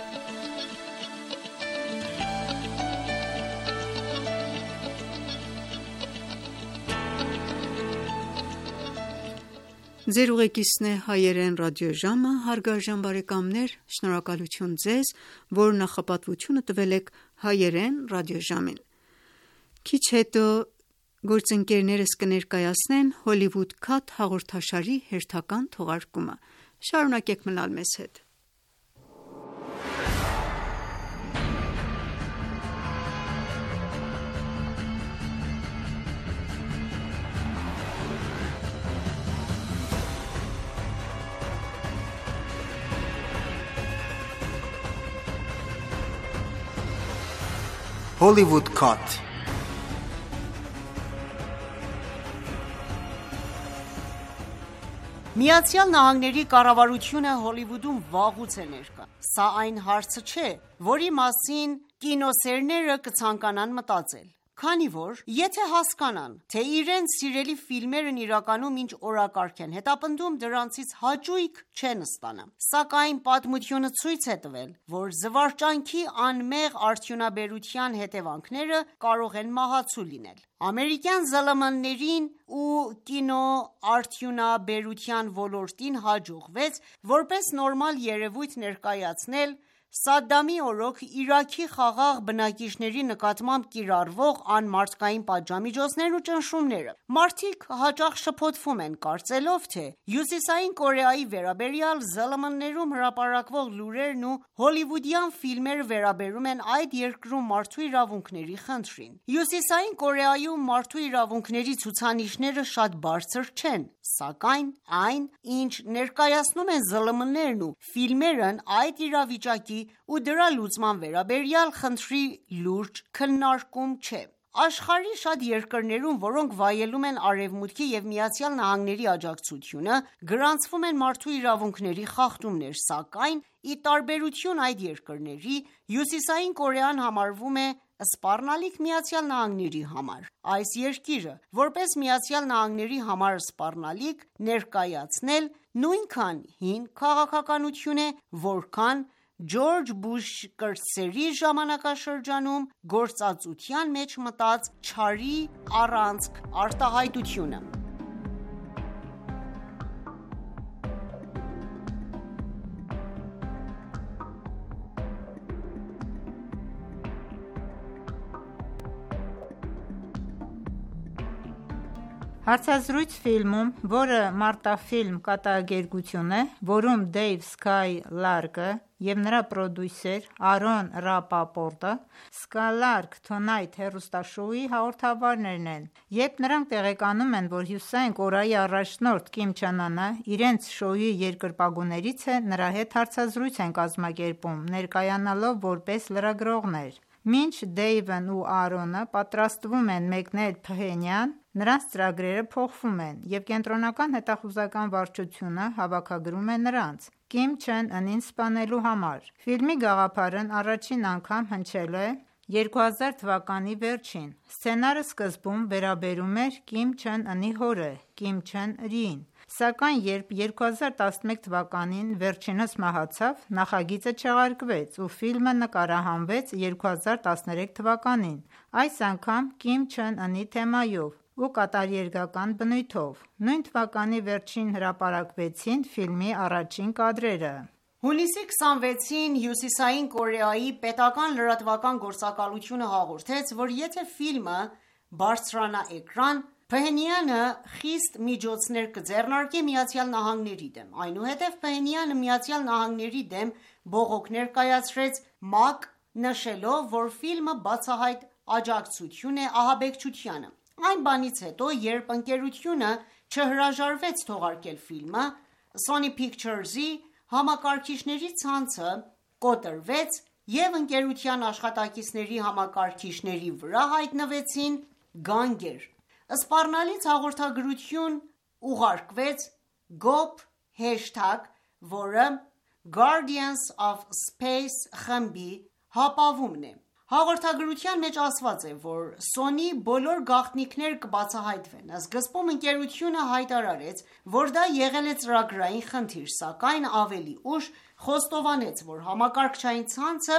Քիչ հետո գործընկերներս կներկայացնեն «Հոլիվուդ Քաթ» հաղորդաշարի հերթական թողարկումը: Շարունակեք մնալ մեզ հետ: Hollywood Cut ԱՄՆ կառավարությունը Հոլիվուդում վաղուց է ներկա: Սա այն հարցը չէ, որի մասին կինոսերները կցանկանան մտածել, քանի որ եթե հասկանան, թե իրենց սիրելի ֆիլմերն իրականում ինչ օրակարգ են հետապնդում, դրանցից հաճույք չեն ստանա։ Սակայն պատմությունը ցույց է տվել, որ զվարճանքի անմեղ արդյունաբերության հետևանքները կարող են մահացու լինել։ Ամերիկյան ԶԼՄ-ներին ու կինոարդյունաբերության ոլորտին հաջողվեց որպես նորմալ երևույթ ներկայացնել Սադդամի օրոք Իրաքի խաղաղ բնակիչների նկատմամբ կիրառվող անմարդկային պատժամիջոցներն ու ճնշումները։ Մարդիկ հաճախ շփոթվում են, կարծելով, թե Հյուսիսային Կորեայի վերաբերյալ ԶԼՄ-ներում հրապարակվող լուրերն ու հոլիվուդյան ֆիլմերը վերաբերում են այդ երկրում մարդու իրավունքների խնդրին։ Հյուսիսային Կորեայում մարդու իրավունքների ցուցանիշները շատ բարձր չեն, սակայն այն, ինչ ներկայացնում են ԶԼՄ-ներն ու ֆիլմերն այդ իրավիճակի ու դրա լուծման վերաբերյալ խնդրի լուրջ քննարկում չէ։ Աշխարհի շատ երկրներում, որոնք վայելում են Արևմուտքի և ԱՄՆ-ի աջակցությունը, գրանցվում են մարդու իրավունքների խախտումներ, սակայն ի տարբերություն այդ երկրների, Հյուսիսային Կորեան համարվում է սպառնալիք ԱՄՆ-ի համար։ Այս երկիրը, որպես ԱՄՆ-ի համար սպառնալիք ներկայացնել, նույնքան հին քաղաքականություն է, որքան Ջորջ Բուշ կրտսերի ժամանակաշրջանում գործածության մեջ մտած չարի առանցք արտահայտությունը։ Հարցազրույց ֆիլմում, որը մարտաֆիլմ կատակերգություն է, որում Դեյվ Սկայ Լարկը և նրա պրոդյուսեր Արոն Ռապապորտը Skylark Tonight հեռուստաշոուի հաղորդավարներն են, երբ նրանք տեղեկանում են, որ Հյուսիսային Կորեայի առաջնորդ Կիմ Չեն Ընը իրենց շոուի երկրպագուներից է, նրա հետ հարցազրույց են կազմակերպում, ներկայանալով որպես լրագրողներ։ Մինչ Դեյվն ու Արոնը պատրաստվում են մեկնել Փհենյան, նրանց ծրագրերը փոխվում են, և կենտրոնական հետախուզական վարչությունը հավաքագրում է նրանց Կիմ Չեն Ընին սպանելու համար։ Ֆիլմի գաղափարն առաջին անգամ հնչել է 2000 թվականի վերջին։ Սցենարը սկզբում վերաբերում էր Կիմ Չեն Ընի հորը՝ Կիմ Չեն Իրին, սակայն երբ 2011 թվականին վերջինս մահացավ, նախագիծը չեղարկվեց ու ֆիլմը նկարահանվեց 2013 թվականին, այս անգամ Կիմ Չեն Ընի թեմայով ու կատարերգական բնույթով։ Նույն թվականի վերջին հրապարակվեցին ֆիլմի առաջին կադրերը։ Հունիսի 26-ին Հյուսիսային Կորեայի պետական լրատվական գործակալությունը հաղորդեց, որ եթե ֆիլմը բարձրանա էկրան, Փհենյանը խիստ միջոցներ կձեռնարկի ԱՄՆ-ի դեմ։ Այնուհետև Փհենյանը ԱՄՆ-ի դեմ բողոք ներկայացրեց ՄԱԿ, նշելով, որ ֆիլմը բացահայտ աջակցություն է ահաբեկչությանը։ Այն բանից հետո, երբ ընկերությունը չհրաժարվեց թողարկել ֆիլմը, Sony Pictures-ի համակարգիչների ցանցը կոտրվեց և ընկերության աշխատակիցների համակարգիչների վրա հայտնվեցին գանգեր։ Սպառնալից հաղորդագրություն ուղարկվեց GOP#, որը Guardians of Space խմբի հապավումն է։ Հաղորդագրության մեջ ասված է, որ Sony բոլոր գաղտնիքները կբացահայտվեն։ Սկզբում ընկերությունը հայտարարեց, որ դա եղել է ծրագրային խնդիր, սակայն ավելի ուշ խոստովանեց, որ համակարգչային ցանցը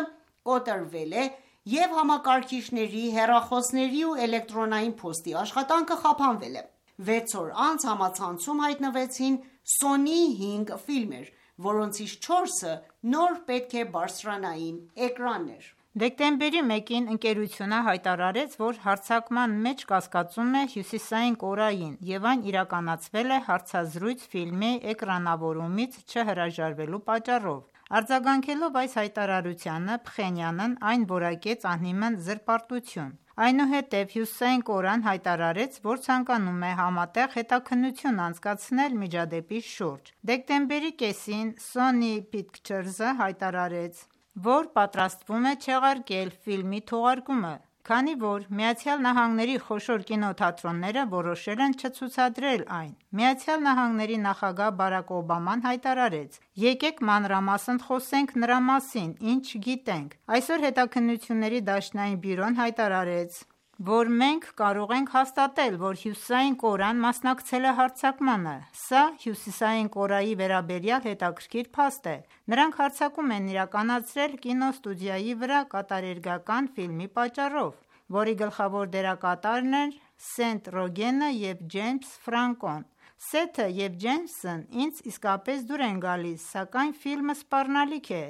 կոտրվել է և համակարգիչների, հեռախոսների ու էլեկտրոնային փոստի աշխատանքը խափանվել է։ 6 օր անց համացանցում հայտնվեցին Sony 5 ֆիլմեր, որոնցից 4-ը նոր պետք է բարձրանային էկրաններ։ Դեկտեմբերի 1-ին ընկերությունը հայտարարեց, որ հարձակման մեջ կասկածում է Հյուսիսային Կորեային և այն իրականացվել է հարցազրույց ֆիլմի էկրանավորումից չհրաժարվելու պատճառով։ Արձագանքելով այս հայտարարությանը, Փխենյանն այն որակեց անհիմն զրպարտություն։ Այնուհետև Հյուսիսային Կորեան հայտարարեց, որ ցանկանում է համատեղ հետաքննություն անցկացնել միջադեպի շուրջ։ Դեկտեմբերի կեսին Sony Pictures-ը հայտարարեց, որ պատրաստվում է չեղարկել ֆիլմի թողարկումը քանի որ ԱՄՆ-ի խոշոր կինոթատրոնները որոշել են չցուցադրել այն։ ԱՄՆ նախագահ Բարաք Օբաման հայտարարեց. «Եկեք մանրամասն խոսենք նրա մասին, ինչ գիտենք»։ Այսօր Հետաքննությունների դաշնային բյուրոն հայտարարեց, որ մենք կարող ենք հաստատել, որ Հյուսիսային Կորեան մասնակցել է հարձակմանը։ Սա Հյուսիսային Կորեայի վերաբերյալ հետաքրքիր փաստ է։ Նրանք հարձակում են իրականացրել կինոստուդիայի վրա կատարերգական ֆիլմի պատճառով, որի գլխավոր դերակատարներն են Սեթ Ռոգենը և Ջեյմս Ֆրանկոն։ Սեթը և Ջեյմսն ինձ իսկապես դուր են գալիս, սակայն ֆիլմը սպառնալիք է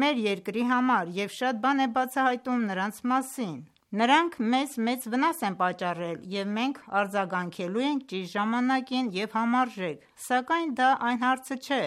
մեր երկրի համար և շատ բան է բացահայտում նրանց մասին։ Նրանք մեզ մեծ վնաս են պատճառել և մենք արձագանքելու ենք ճիշտ ժամանակին և համարժեք, սակայն դա այն հարցը չէ,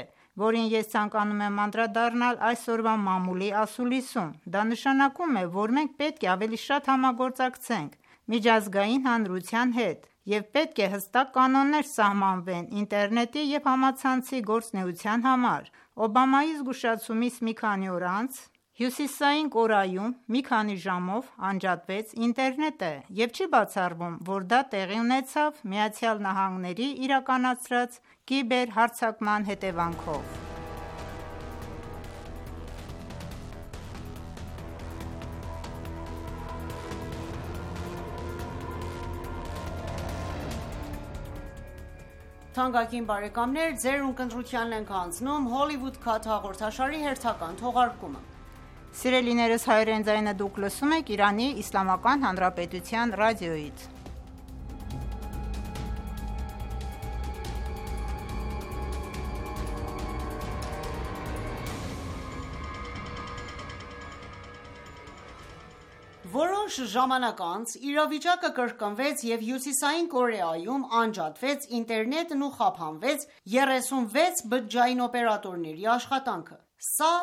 որին ես ցանկանում եմ անդրադառնալ այսօրվա մամուլի ասուլիսում։ Դա նշանակում է, որ մենք պետք է ավելի շատ համագործակցենք միջազգային հանրության հետ և պետք է հստակ կանոններ սահմանվեն ինտերնետի և համացանցի գործունեության համար։ Օբամայի զգուշացումից մի քանի օր անց Հյուսիսային Կորեայում մի քանի ժամով անջատվեց ինտերնետը և չի բացառվում, որ դա տեղի ունեցավ ԱՄՆ-ի իրականացրած կիբերհարձակման հետևանքով։ Թանկագին բարեկամներ, ձեր ունկնդրությանն ենք հանձնում Hollywood Cut հաղորդաշարի հերթական թողարկումը։ Սիրելիներս, հայրեն ձայնը դուք լսում եք Իրանի Իսլամական Հանրապետության ռադիոյից։ Որոշ ժամանակ անց իրավիճակը կրկնվեց և Հյուսիսային Կորեայում անջատվեց ինտերնետն ու խափանվեց 36 բջջային օպերատորների աշխատանքը։ Սա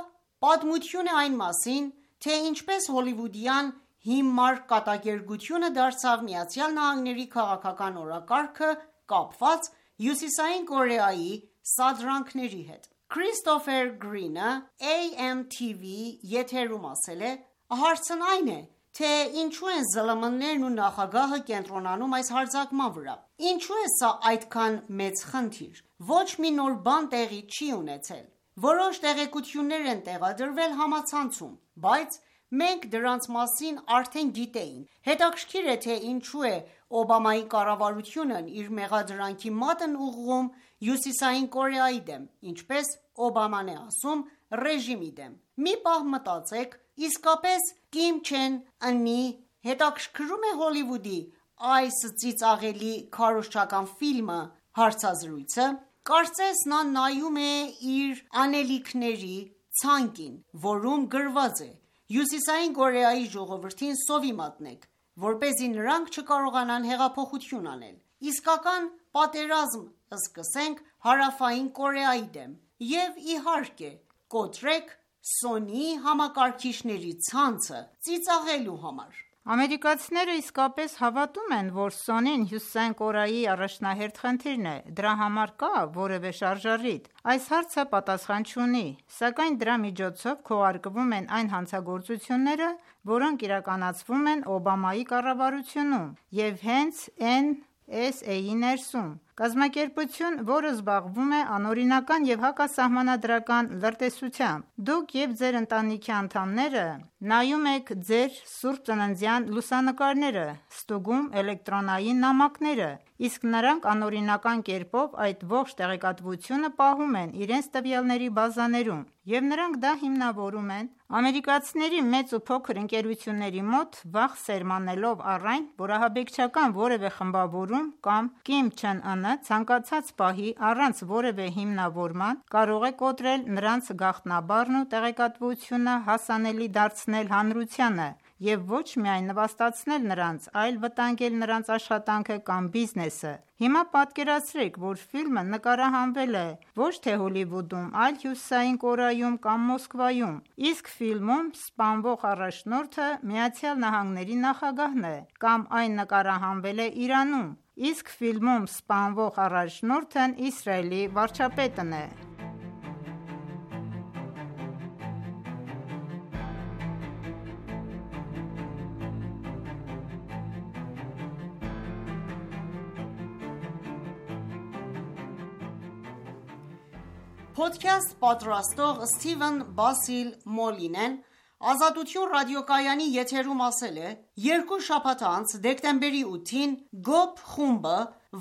պատմություն է այն մասին, թե ինչպես հոլիվուդյան հիմար կատակերգությունը դարձավ ԱՄՆ-ի քաղաքական օրակարգը կապված Հյուսիսային Կորեայի սադրանքների հետ։ Քրիստոֆեր Գրինը AMTV եթերում ասել է. «Հարցն այն է, թե ինչու են ԶԼՄ-ներն ու նախագահը կենտրոնանում այս հարձակման վրա։ Ինչու է սա այդքան մեծ խնդիր։ Ոչ մի նոր բան տեղի չի ունեցել։ Որոշ տեղեկություններ են տեղադրվել համացանցում, բայց մենք դրանց մասին արդեն գիտեինք։ Հետաքրքիր է, թե ինչու է Օբամայի կառավարությունն իր մեղադրանքի մատն ուղղում Հյուսիսային Կորեայի դեմ, ինչպես Օբաման է ասում, ռեժիմի դեմ։ Մի պահ մտածեք, իսկապես Կիմ Չեն Ընի հետաքրքրում է Հոլիվուդի այս ծիծաղելի քարոզչական ֆիլմը հարցազրույցը։ Կարծես նա նայում է իր անելիքների ցանկին, որում գրված է. Հյուսիսային Կորեայի ժողովրդին սովի մատնեք, որպեսզի նրանք չկարողանան հեղափոխություն անել։ Իսկական պատերազմ սկսենք Հարավային Կորեայի դեմ և իհարկե կոտրեք Սոնիի համակարգիչների ցանցը ծիծաղելու համար»։ Ամերիկացիները իսկապես հավատում են, որ Սոնին Հյուսիսային Կորեայի առաջնահերթ խնդիրն է։ Դրա համար կա որևէ շարժառիթ։ Այս հարցը պատասխան չունի, սակայն դրա միջոցով քողարկվում են այն հանցագործությունները, որոնք իրականացվում են Օբամայի կառավարությունում և հենց NSA-ի ներսում։ Կազմակերպություն, որը զբաղվում է անօրինական և հակասահմանադրական լրտեսությամբ։ Դուք և ձեր ընտանիքի անդամները նայում եք ձեր սուրբ ծննդյան լուսանկարները, ստուգում էլեկտրոնային նամակները, իսկ նրանք անօրինական կերպով այդ ողջ տեղեկատվությունը պահում են իրենց տվյալների բազաներում, և նրանք դա հիմնավորում են ամերիկացիների մեծ ու փոքր ընկերությունների մոտ, վախ սերմանելով առ այն, որ ահաբեկչական որևէ խմբավորում կամ Կիմ Չեն Ընը ցանկացած պահի առանց որևէ հիմնավորման կարող է կոտրել նրանց գաղտնաբառն ու տեղեկատվությունը հասանելի դարձնել հանրությանը և ոչ միայն նվաստացնել նրանց, այլ վտանգել նրանց աշխատանքը կամ բիզնեսը։ Հիմա պատկերացրեք, որ ֆիլմը նկարահանվել է ոչ թե Հոլիվուդում, այլ Հյուսիսային Կորեայում կամ Մոսկվայում, իսկ ֆիլմում սպանվող առաջնորդը ԱՄՆ-ի նախագահն է, կամ այն նկարահանվել է Իրանում, իսկ ֆիլմում սպանվող առաջնորդն Իսրայելի վարչապետն է։ Podcast պատրաստող Սթիվեն Բասիլ Մոլինեն Ազատություն ռադիոկայանի եթերում ասել է. երկու շաբաթ անց դեկտեմբերի 8-ին GOP խումբը,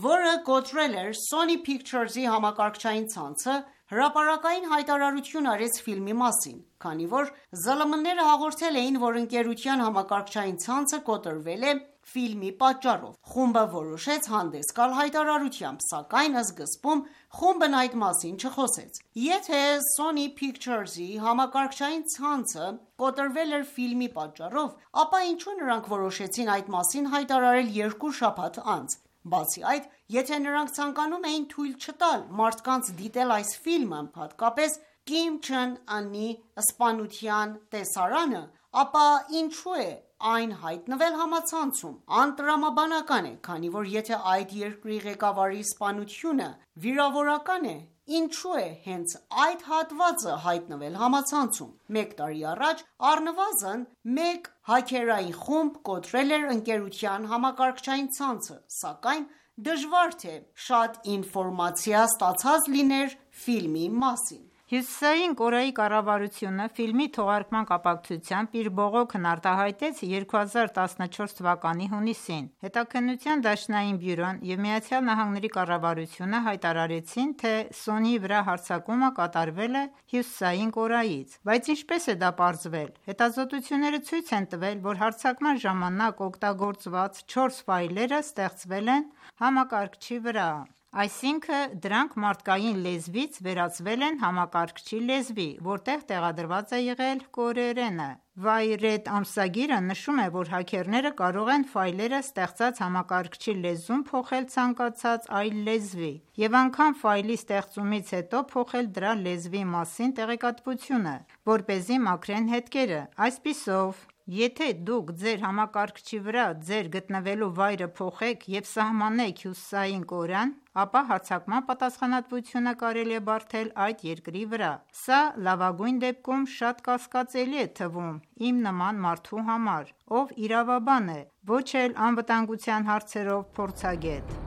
որը կոտրել էր Sony Pictures-ի համակարգչային ցանցը, հրապարակային հայտարարություն արեց ֆիլմի մասին, քանի որ ԶԼՄ-ները հաղորդել էին, որ ընկերության համակարգչային ցանցը կոտրվել է ֆիլմի պատճառով։ Խումբը որոշեց հանդես գալ հայտարարությամբ, սակայն սկզբում խումբն այդ մասին չխոսեց։ Եթե Sony Pictures-ի համակարգչային ցանցը կոտրվել էր ֆիլմի պատճառով, ապա ինչու նրանք որոշեցին այդ մասին հայտարարել երկու շաբաթ անց։ Բացի այդ, եթե նրանք ցանկանում էին թույլ չտալ մարդկանց դիտել այս ֆիլմը, հատկապես Կիմ Չեն Ընի սպանության տեսարանը, ապա ինչու է այն հայտնվել համացանցում։ Անտրամաբանական է, քանի որ եթե այդ երկրի ղեկավարի սպանությունը վիրավորական է, ինչու է հենց այդ հատվածը հայտնվել համացանցում։ Մեկ տարի առաջ առնվազն մեկ հաքերային խումբ կոտրել էր ընկերության համակարգչային ցանցը, սակայն դժվար թե շատ ինֆորմացիա ստացած լիներ ֆիլմի մասին։ Հյուսիսային Կորեայի կառավարությունը ֆիլմի թողարկման կապակցությամբ իր բողոքն արտահայտեց 2014 թվականի հունիսին։ Հետաքննության դաշնային բյուրոն և ԱՄՆ կառավարությունը հայտարարեցին, թե Sony-ի վրա հարձակումը կատարվել է Հյուսիսային Կորեայից։ Բայց ինչպես է դա պարզվել։ Հետազոտությունները ցույց են տվել, որ հարձակման ժամանակ օգտագործված 4 ֆայլերը ստեղծվել են համակարգչի վրա։ Այսինքն դրանք մարդկային լեզվից վերածվել են համակարգչի լեզվի, որտեղ տեղադրված է եղել կորեերենը։ Wired ամսագիրը նշում է, որ հաքերները կարող են ֆայլերը ստեղծած համակարգչի լեզուն փոխել ցանկացած այլ լեզվի և անգամ ֆայլի ստեղծումից հետո փոխել դրա լեզվի մասին տեղեկատվությունը, որպեսզի մաքրեն հետքերը։ Այսպիսով, եթե դուք ձեր համակարգչի վրա ձեր գտնվելու վայրը փոխեք և սահմանեք Հյուսիսային Կորեան, ապա հարձակման պատասխանատվությունը կարելի է բարդել այդ երկրի վրա։ Սա լավագույն դեպքում շատ կասկածելի է թվում իմ նման մարդու համար, ով իրավաբան է, ոչ էլ անվտանգության հարցերով փորձագետ։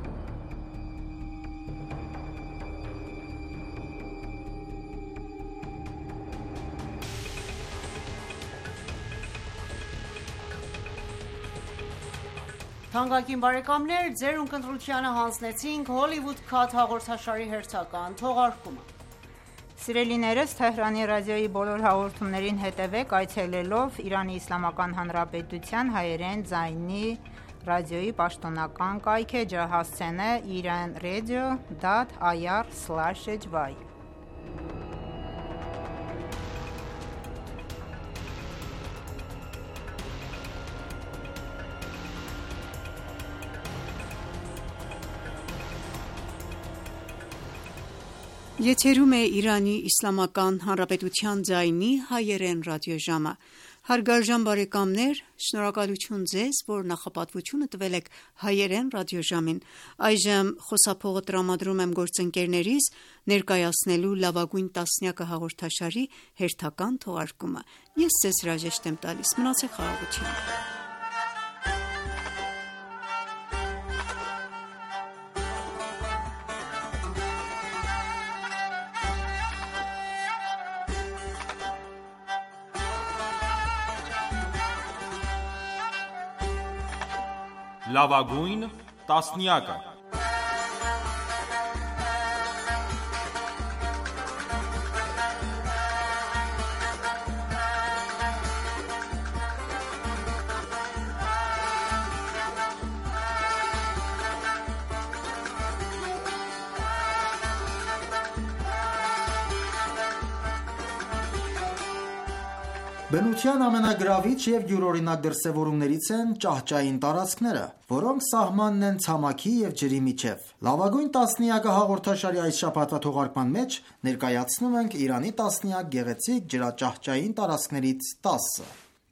Թանկագին բարեկամներ, ձեր ունկնդրությանը հանձնեցինք Hollywood Cut հաղորդաշարի հերթական թողարկումը։ Սիրելիներս, Թեհրանի ռադիոյի բոլոր հաղորդումներին հետևեք այցելելով Իրանի Իսլամական Հանրապետության հայերեն ձայնի ռադիոյի պաշտոնական կայքէջը, հասցենը iranradio.ir/hy։ Եթերում է Իրանի Իսլամական Հանրապետության ձայնի հայերեն ռադիոժամը։ Հարգարժան բարեկամներ, շնորհակալություն ձեզ, որ նախապատվությունը տվել եք հայերեն ռադիոժամին։ Այժմ խոսափողը տրամադրում եմ գործընկերներիս ներկայացնելու լավագույն տասնյակը հաղորդաշարի հերթական թողարկումը։ Ես ձեզ հրաժեշտ եմ տալիս։ Մնացեք խաղաղությամբ։ Լավագույն տասնյակը։ Բնության ամենագրավիչ և յուրօրինակ դրսևորումներից են ճահճային տարածքները, որոնք սահմանն են ցամաքի և ջրի միջև։ Լավագույն տասնյակը հաղորդաշարի այս շաբաթվա թողարկման մեջ ներկայացնում ենք Իրանի տասնյակ գեղեցիկ ջրաճահճային տարածքներից 10-ը։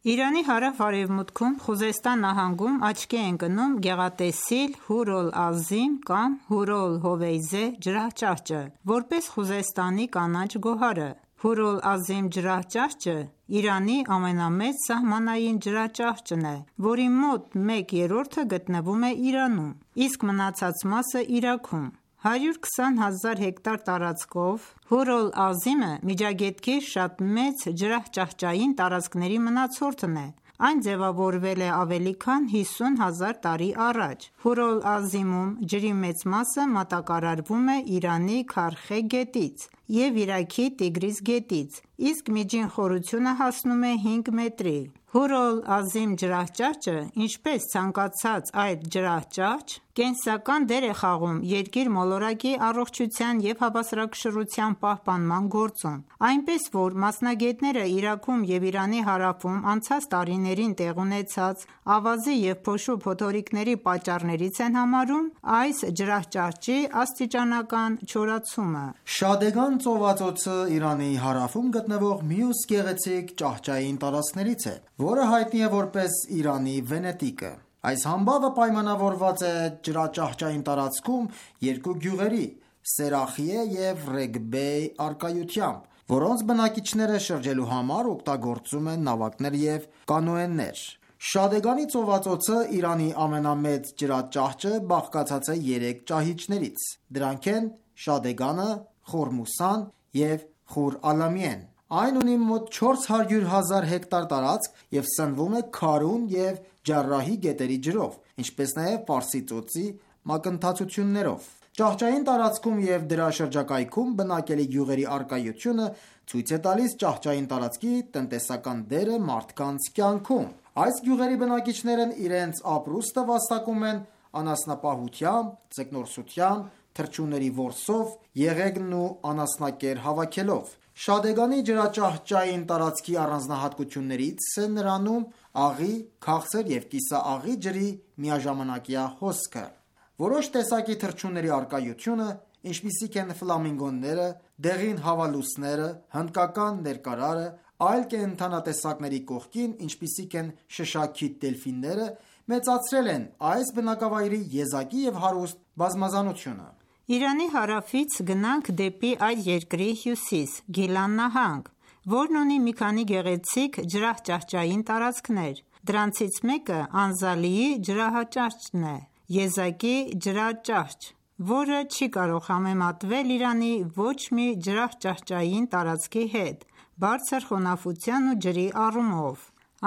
Իրանի հարավ-արևմուտքում Խուզեստան նահանգում աչքի է ընկնում գեղատեսիլ Հուր օլ-Ազիմ կամ Հուր օլ-Հովեյզե ջրաճահճը, որպես Խուզեստանի կանաչ գոհարը։ Հուր օլ-Ազիմ ջրաճահճը Իրանի ամենամեծ սահմանային ջրաճահճն է, որի մոտ 1/3-ը գտնվում է Իրանում, իսկ մնացած մասը Իրաքում։ 120,000 հեկտար տարածքով Հուր Ալ-Ազիմը Միջագետքի շատ մեծ ջրահճահճային տարածքների մնացորդն է: Այն ձևավորվել է ավելի քան 50,000 տարի առաջ: Հուր Ալ-Ազիմում ջրի մեծ մասը մատակարարվում է Իրանի Քարխե գետից և Իրաքի Տիգրիս գետից, իսկ միջին խորությունը հասնում է 5 մետրի: Հուր Ալ-Ազիմ ջրահճաճը, ինչպես ցանկացած այլ ջրահճաճ, կենսական դեր է խաղում երկիր մոլորակի առողջության և հավասարակշռության պահպանման գործում: Այնպես որ մասնագետները Իրաքում և Իրանի հարավում անցած տարիներին տեղի ունեցած ավազի և փոշու փոթորիկների պատճառներից են համարում այս ջրահճաճի աստիճանական չորացումը: Շադեգան ծովածոցը Իրանի հարավում գտնվող մյուս գեղեցիկ ճահճային տարածքներից է, որը հայտնի է որպես Իրանի Վենետիկը: Այս համբավը պայմանավորված է ջրաճահճային տարածքում երկու գյուղերի՝ Սերախիե և Ռեգբեյ առկայությամբ, որոնց բնակիչները շրջելու համար օգտագործում են նավակներ և կանոեներ: Շադեգանի ծովածոցը, Իրանի ամենամեծ ջրաճահճը, բաղկացած է 3 ճահիճներից: Դրանք են Շադեգանը, Խորմուսան և Խուր Ալամիեն: Այն ունի մոտ 400,000 հեկտար տարածք և սնվում է Քարուն և Ջարրահի գետերի ջրով, ինչպես նաև Պարսի ծոցի մակընթացություններով: Ճահճային տարածքում և դրա շրջակայքում բնակելի գյուղերի առկայությունը ցույց է տալիս ճահճային տարածքի տնտեսական դերը մարդկանց կյանքում: Այս գյուղերի բնակիչներն իրենց ապրուստը վաստակում են անասնապահությամբ, ձկնորսությամբ, թռչունների որսով, եղեգն ու անասնակեր հավաքելով: Շադեգանի ջրաճահճային տարածքի առանձնահատկություններից է նրանում աղի, քաղցր և կիսաաղի ջրի միաժամանակյա հոսքը: Որոշ տեսակի թռչունների առկայությունը, ինչպիսիք են ֆլամինգոները, դեղին հավալուսները, հնդկական ներկարարը, այլ կենդանատեսակների կողքին, ինչպիսիք են շշաքիթ դելֆինները, մեծացրել են այս բնակավայրի եզակի և հարուստ բազմազանությունը: Իրանի հարավից գնանք դեպի այդ երկրի հյուսիս՝ Գիլան նահանգ, որն ունի մի քանի գեղեցիկ ջրահճահճային տարածքներ: Դրանցից մեկը Անզալիի ջրահճաճն է, եզակի ջրաճահճ, որը չի կարող համեմատվել Իրանի ոչ մի ջրահճահճային տարածքի հետ բարձր խոնավության ու ջրի առումով: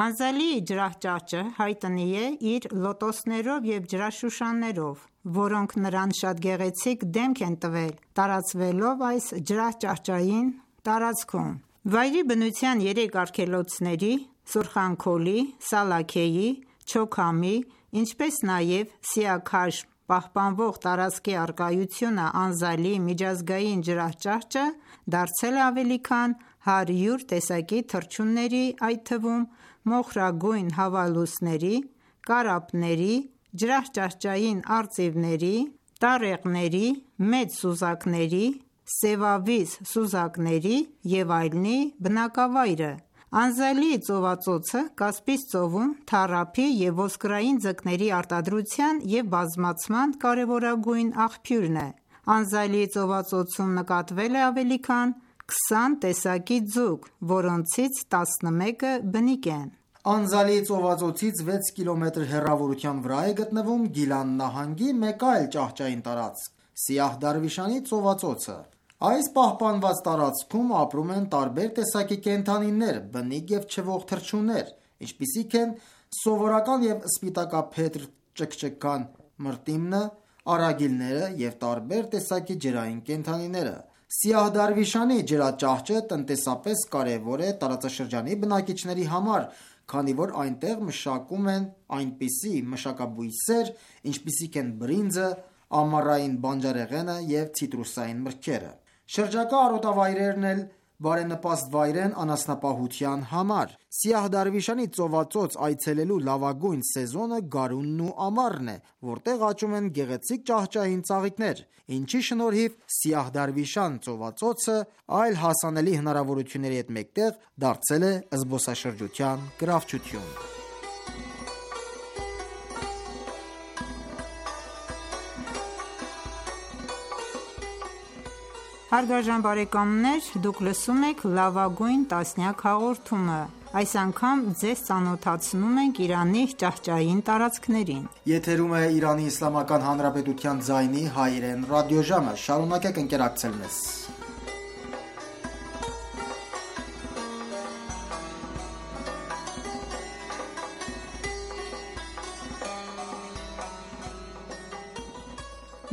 Անզալիի ջրահճաճը հայտնի է իր լոտոսներով և ջրաշուշաններով, որոնք նրան շատ գեղեցիկ դեմք են տվել տարածվելով այս ջրահճաճային տարածքում: Վայրի բնության 3 արգելոցների՝ Սուրխանքոլի, Սալաքեյի, Չոքհամի, ինչպես նաև Սիաքաշմ պահպանվող տարածքի առկայությունը Անզալիի միջազգային ջրահճաճը դարձել է ավելի քան 100 տեսակի թռչունների, այդ թվում մոխրագույն հավալուսների, կարապների, ջրահճաճային արծիվների, տառեղների, մեծ սուզակների, սևավիզ սուզակների և այլնի բնակավայրը: Անզալիի ծովածոցը Կասպից ծովում թառափի և ոսկրային ձկների արտադրության և բազմացման կարևորագույն աղբյուրն է: Անզալիի ծովածոցում նկատվել է ավելի քան 20 տեսակի ձուկ, որոնցից 11-ը բնիկ են: Անզալիի ծովածոցից 6 կմ հեռավորության վրա է գտնվում Գիլան նահանգի մեկ այլ ճահճային տարածք՝ Սիահ Դարվիշանի ծովածոցը: Այս պահպանված տարածքում ապրում են տարբեր տեսակի կենդանիներ, բնիկ և չվող թռչուններ, ինչպիսիք են սովորական և սպիտակափետրլ ճկճկան մրտիմնը, արագիլները և տարբեր տեսակի ջրային կենդանիները: Սիահ Դարվիշանի ջրաճահճը տնտեսապես կարևոր է տարածաշրջանի բնակիչների համար, քանի որ այնտեղ մշակում են այնպիսի մշակաբույսեր, ինչպիսիք են բրինձը, ամառային բանջարեղենը և ցիտրուսային մրգերը: Շրջակա արոտավայրերն էլ բարենպաստ վայր են անասնապահության համար: Սիահ Դարվիշանի ծովածոց այցելելու լավագույն սեզոնը գարունն ու ամառն է, որտեղ աճում են գեղեցիկ ճահճային ծաղիկներ, ինչի շնորհիվ Սիահ Դարվիշան ծովածոցը այլ հասանելի հնարավորությունների հետ մեկտեղ դարձել է զբոսաշրջության գրավչություն: Հարգարժան բարեկամներ, դուք լսում եք «Լավագույն տասնյակ» հաղորդումը, Այս անգամ ձեզ ծանոթացնում ենք Իրանի ճահճային տարածքներին։ Եթերում է Իրանի Իսլամական Հանրապետության ձայնի հայերեն ռադիոժամը։ Շարունակեք ընկերակցել մեզ։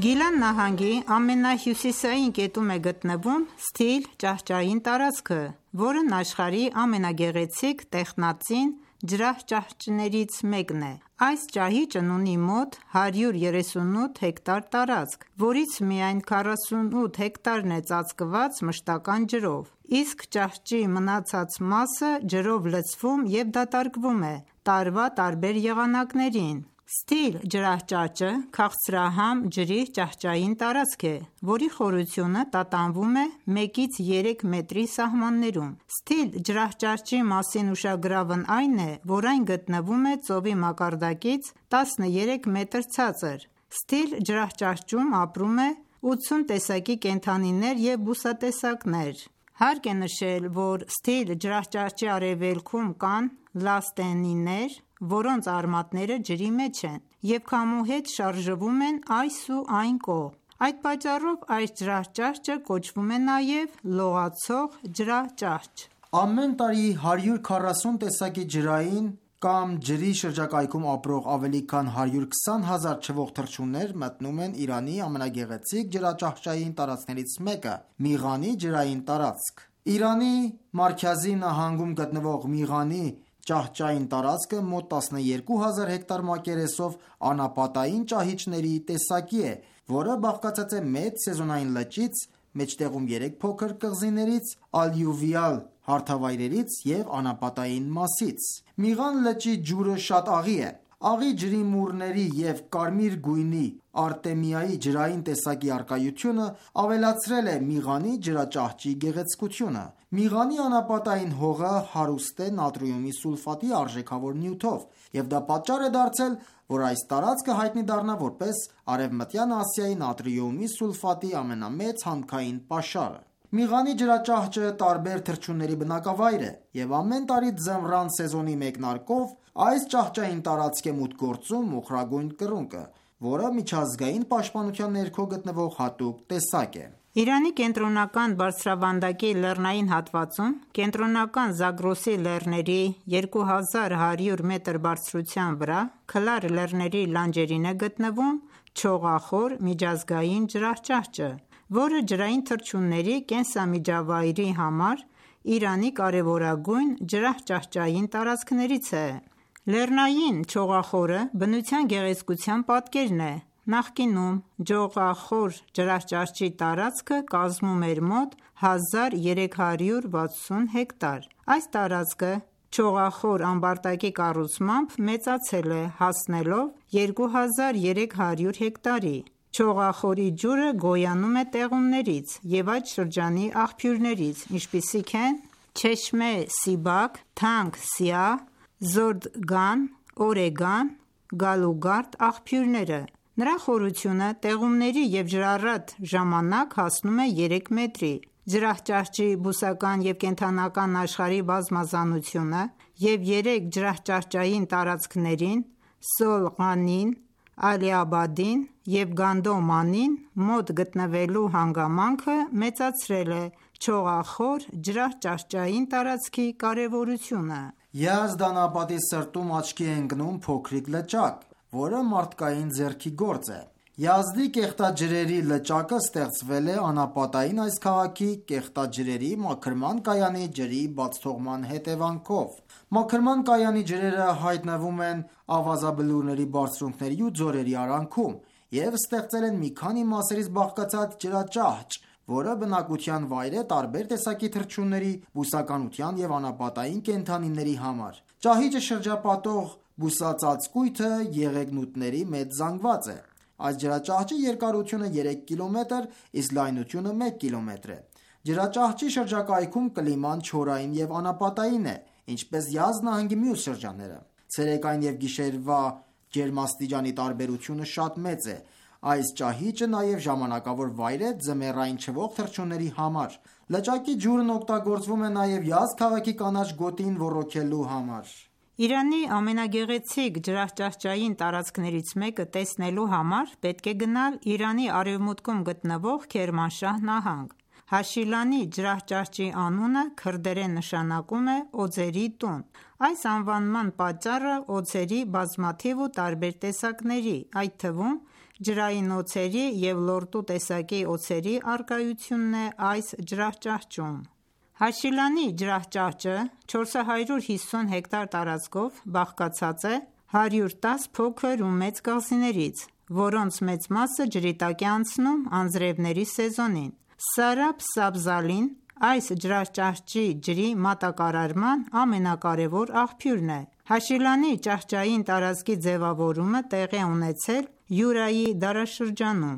Գիլան նահանգի ամենահյուսիսային կետում է գտնվում Սթիլ ճահճային տարածքը, որն աշխարհի ամենագեղեցիկ տեխնածին ջրահճահճներից մեկն է։ Այս ճահիճն ունի մոտ 138 հեկտար տարածք, որից միայն 48 հեկտարն է ծածկված մշտական ջրով, իսկ ճահճի մնացած մասը ջրով լցվում և դատարկվում է տարվա տարբեր եղանակներին։ Սթիլ ջրահճաճը քաղցրահամ ջրի ճահճային տարածք է, որի խորությունը տատանվում է 1-ից 3 մետրի սահմաններում։ Սթիլ ջրահճաճի մասին ուշագրավն այն է, որ այն գտնվում է ծովի մակարդակից 13 մետր ցածր։ Սթիլ ջրահճաճում ապրում է 80 տեսակի կենդանիներ և բուսատեսակներ։ Հարկ է նշել, որ Սթիլ ջրահճաճի արևելքում կան լաստենիներ, որոնց արմատները ջրի մեջ են և քամու հետ շարժվում են այս ու այն կողմ։ Այդ պատճառով այս ջրահճաճը կոչվում է նաև լողացող ջրաճահճ։ Ամեն տարի 140 տեսակի ջրային կամ ջրի շրջակայքում ապրող ավելի քան 120 հազար չվող թռչուններ մտնում են Իրանի ամենագեղեցիկ ջրաճահճային տարածքներից մեկը՝ Միղանի ջրային տարածք։ Իրանի Մարքազի նահանգում գտնվող Միղանի ճահճային տարածքը մոտ 12000 հեկտար մակերեսով անապատային ճահիճների տեսակի է, որը բաղկացած է մեծ սեզոնային լճից, մեջտեղում 3 փոքր կղզիներից, ալյուվիալ հարթավայրերից և անապատային մասից։ Միղան լճի ջուրը շատ աղի է։ Աղի ջրի մուրների և կարմիր գույնի արտեմիայի ջրային տեսակի առկայությունը ավելացրել է Միղանի ջրաճահճի գեղեցկությունը։ Միղանի անապատային հողը հարուստ է նատրիումի սուլֆատի արժեքավոր նյութով, և դա պատճառ է դարձել, որ այս տարածքը հայտնի դառնա որպես Արևմտյան Ասիայի նատրիումի սուլֆատի ամենամեծ հանքային պաշարը։ Միղանի ջրաճահճը տարբեր թռչունների բնակավայր է, և ամեն տարի ձմռան սեզոնի մեկնարկով այս ճահճային տարածք է մուտք գործում մոխրագույն կռունկը, որը միջազգային պաշտպանության ներքո գտնվող հատուկ տեսակ է։ Իրանի կենտրոնական բարձրավանդակի լեռնային հատվածում, կենտրոնական Զագրոսի լեռների 2100 մետր բարձրության վրա, Քլար լեռների լանջերին է գտնվում չողախոր միջազգային ջրահճաճը, որը ջրային թռչունների կենսամիջավայրի համար Իրանի կարևորագույն ջրահճաճային տարածքներից է։ Լեռնային չողախորը բնության գեղեցկության պատկերն է։ Նախկինում ջողախոր ջրահճաճի տարածքը կազմում էր մոտ 1360 հեկտար։ Այս տարածքը չողախոր ամբարտակի կառուցմամբ մեծացել է, հասնելով 2300 հեկտարի։ Չողախորի ջուրը գոյանում է տեղումներից և այդ շրջանի աղբյուրներից, ինչպիսիք են Չեշմե Սիբակ, Թանք Սիահ, Զորդգան, Օրեգան, Գալուգարդ աղբյուրները։ Նրա խորությունը տեղումների և ջրառատ ժամանակ հասնում է 3 մետրի։ Ջրահճաճի բուսական և կենդանական աշխարհի բազմազանությունը և 3 ջրահճաճային տարածքներին՝ Սոլղանին, Ալիաբադին և Գանդոմանին մոտ գտնվելու հանգամանքը մեծացրել է չողախոր ջրահճաճային տարածքի կարևորությունը։ Յազդ անապատի սրտում աչքի է ընկնում փոքրիկ լճակ, որը մարդկային ձեռքի գործ է։ Յազդի կեղտաջրերի լճակը ստեղծվել է անապատային այս քաղաքի կեղտաջրերի մաքրման կայանի ջրի բացթողման հետևանքով։ Մաքրման կայանի ջրերը հայտնվում են ավազաբլուրների բարձունքների ու ձորերի արանքում և ստեղծել են մի քանի մասերից բաղկացած ջրաճահճ, որը բնակության վայր է տարբեր տեսակի թռչունների, բուսականության և անապատային կենդանիների համար։ Ճահիճը շրջապատող բուսածածկույթը եղեգնուտների մեծ զանգված է։ Այս ջրաճահճի երկարությունը 3 կիլոմետր, իսկ լայնությունը 1 կիլոմետր է։ Ջրաճահճի շրջակայքում կլիման չորային և անապատային է, ինչպես Յազդ նահանգի մյուս շրջանները։ Ցերեկային և գիշերվա ջերմաստիճանի տարբերությունը շատ մեծ է։ Այս ճահիճը նաև ժամանակավոր վայր է ձմեռային չվող թռչունների համար։ Լճակի ջուրն օգտագործվում է նաև Յազդ քաղաքի կանաչ գոտին ոռոգելու համար։ Իրանի ամենագեղեցիկ ջրահճահճային տարածքներից մեկը տեսնելու համար պետք է գնալ Իրանի արևմուտքում գտնվող Քերմանշահ նահանգ։ Հաշիլանի ջրահճահճի անունը քրդերեն նշանակում է օձերի տուն։ Այս անվանման պատճառը օձերի բազմաթիվ ու տարբեր տեսակների, այդ թվում ջրային օձերի և լորտու տեսակի օձերի առկայությունն է այս ջրահճահճում։ Հաշիլանի ջրահճահճը 450 հեկտար տարածքով բաղկացած է 110 փոքր ու մեծ կղզիներից, որոնց մեծ մասը ջրի տակ է անցնում անձրևների սեզոնին։ Սարաբ Սաբզալին այս ջրահճահճի ջրի մատակարարման ամենակարևոր աղբյուրն է։ Հաշիլանի ճահճային տարածքի ձևավորումը տեղի է ունեցել Յուրայի դարաշրջանում։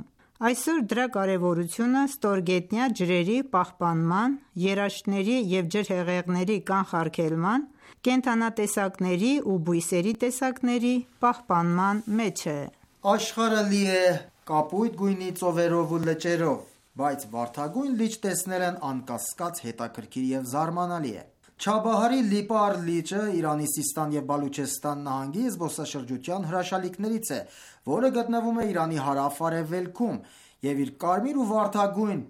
Այսօր դրա կարևորությունը ստորգետնյա ջրերի պահպանման, երաշտների և ջրհեղեղների կանխարգելման, կենդանատեսակների ու բույսերի տեսակների պահպանման մեջ է։ Աշխարհը լի է կապույտ գույնի ծովերով ու լճերով, բայց վարդագույն լիճ տեսնելն անկասկած հետաքրքիր և զարմանալի է։ Չաբահարի Լիպար լիճը Իրանի Սիստան և Բալուչեստան նահանգի զբոսաշրջության հրաշալիքներից է, որը գտնվում է Իրանի հարավ-արևելքում և իր կարմիր ու վարդագույն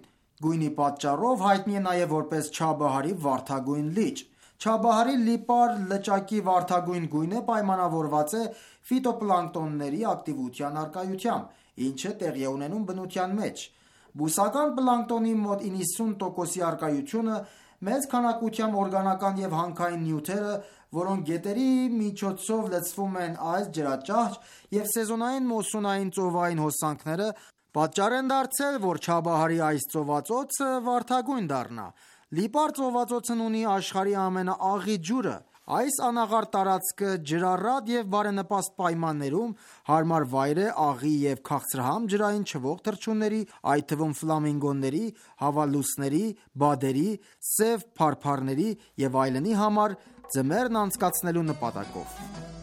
գույնի պատճառով հայտնի է նաև որպես Չաբահարի վարդագույն լիճ։ Չաբահարի Լիպար լճակի վարդագույն գույնը պայմանավորված է ֆիտոպլանկտոնների ակտիվության առկայությամբ, ինչը տեղի է ունենում բնության մեջ։ Բուսական պլանկտոնի մոտ 90%-ի առկայությունը, մեծ քանակությամբ օրգանական և հանքային նյութերը, որոնք գետերի միջոցով լցվում են այս ջրաճահճ և սեզոնային մուսսոնային ծովային հոսանքները, պատճառ են դարձել, որ Չաբահարի այս ծովածոցը վարդագույն դառնա։ Լիպար ծովածոցն ունի աշխարհի ամենաաղի ջուրը։ Այս անաղարտ տարածքը ջրառատ և բարենպաստ պայմաններում հարմար վայր է աղի և քաղցրահամ ջրային չվող թռչունների, այդ թվում ֆլամինգոների, հավալուսների, բադերի, սև փարփառների և այլնի համար ձմեռն անցկացնելու նպատակով։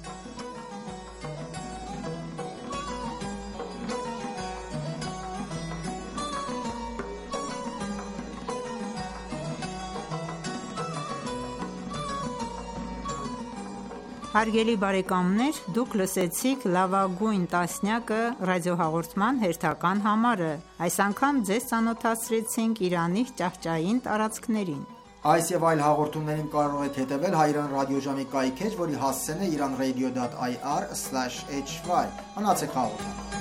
Հարգելի բարեկամներ, դուք լսեցիք լավագույն տասնյակը ռադիոհաղորդման հերթական համարը։ Այս անգամ ձեզ ծանոթացրեցինք Իրանի ճահճային տարածքներին։ Այս և այլ հաղորդումներին կարող եք հետևել Հայրեն ռադիոժամի կայքէջ, որի հասցեն է iranradio.ir/hy։ Մնացեք հաղորդանք։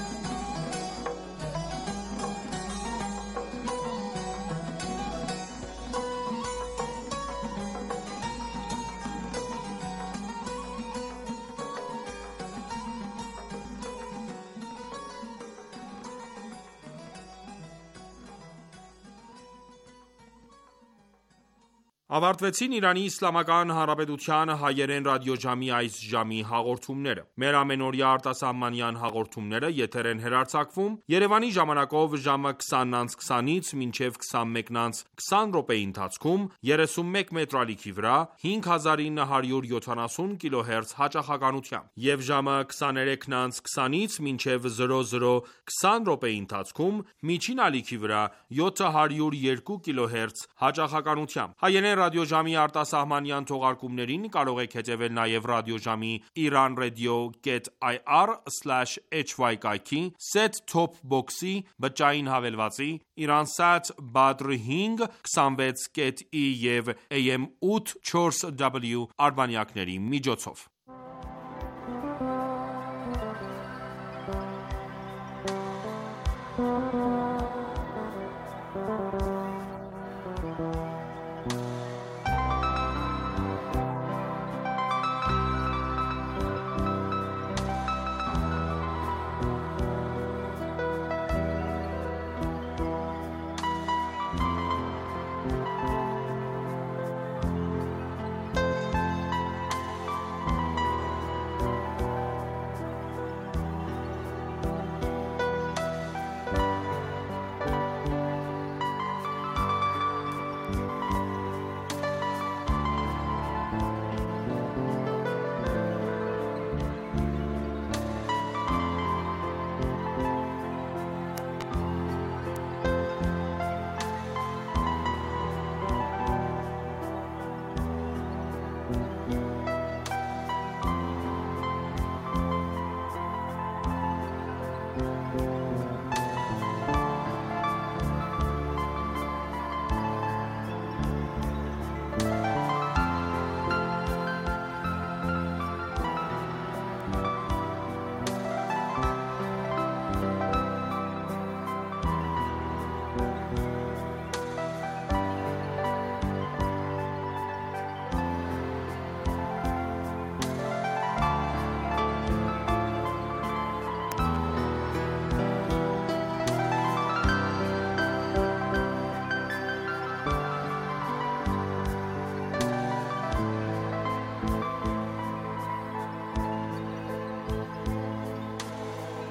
Ավարտվեցին Իրանի Իսլամական Հանրապետության հայերեն ռադիոժամի այս ժամի հաղորդումները։ Մեր ամենօրյա արտասահմանյան հաղորդումները եթեր են հեռարձակվում Երևանի ժամանակով ժամը 20:20-ից մինչև 21:20 րոպեի ընթացքում 31 մետրալիքի վրա 5970 կիլոհերց հաճախականությամբ և ժամը 23:20-ից մինչև 00:20 րոպեի ընթացքում միջին ալիքի վրա 702 կիլոհերց հաճախականությամբ։ Հայերեն ռադիոժամի արտասահմանյան թողարկումներին կարող եք հետևել նաև ռադիոժամի iranradio.ir/hy կայքի, set-top box-ի, բջջային հավելվածի, Iransat Badr 5 26.i և AM 8 4W արբանյակների միջոցով։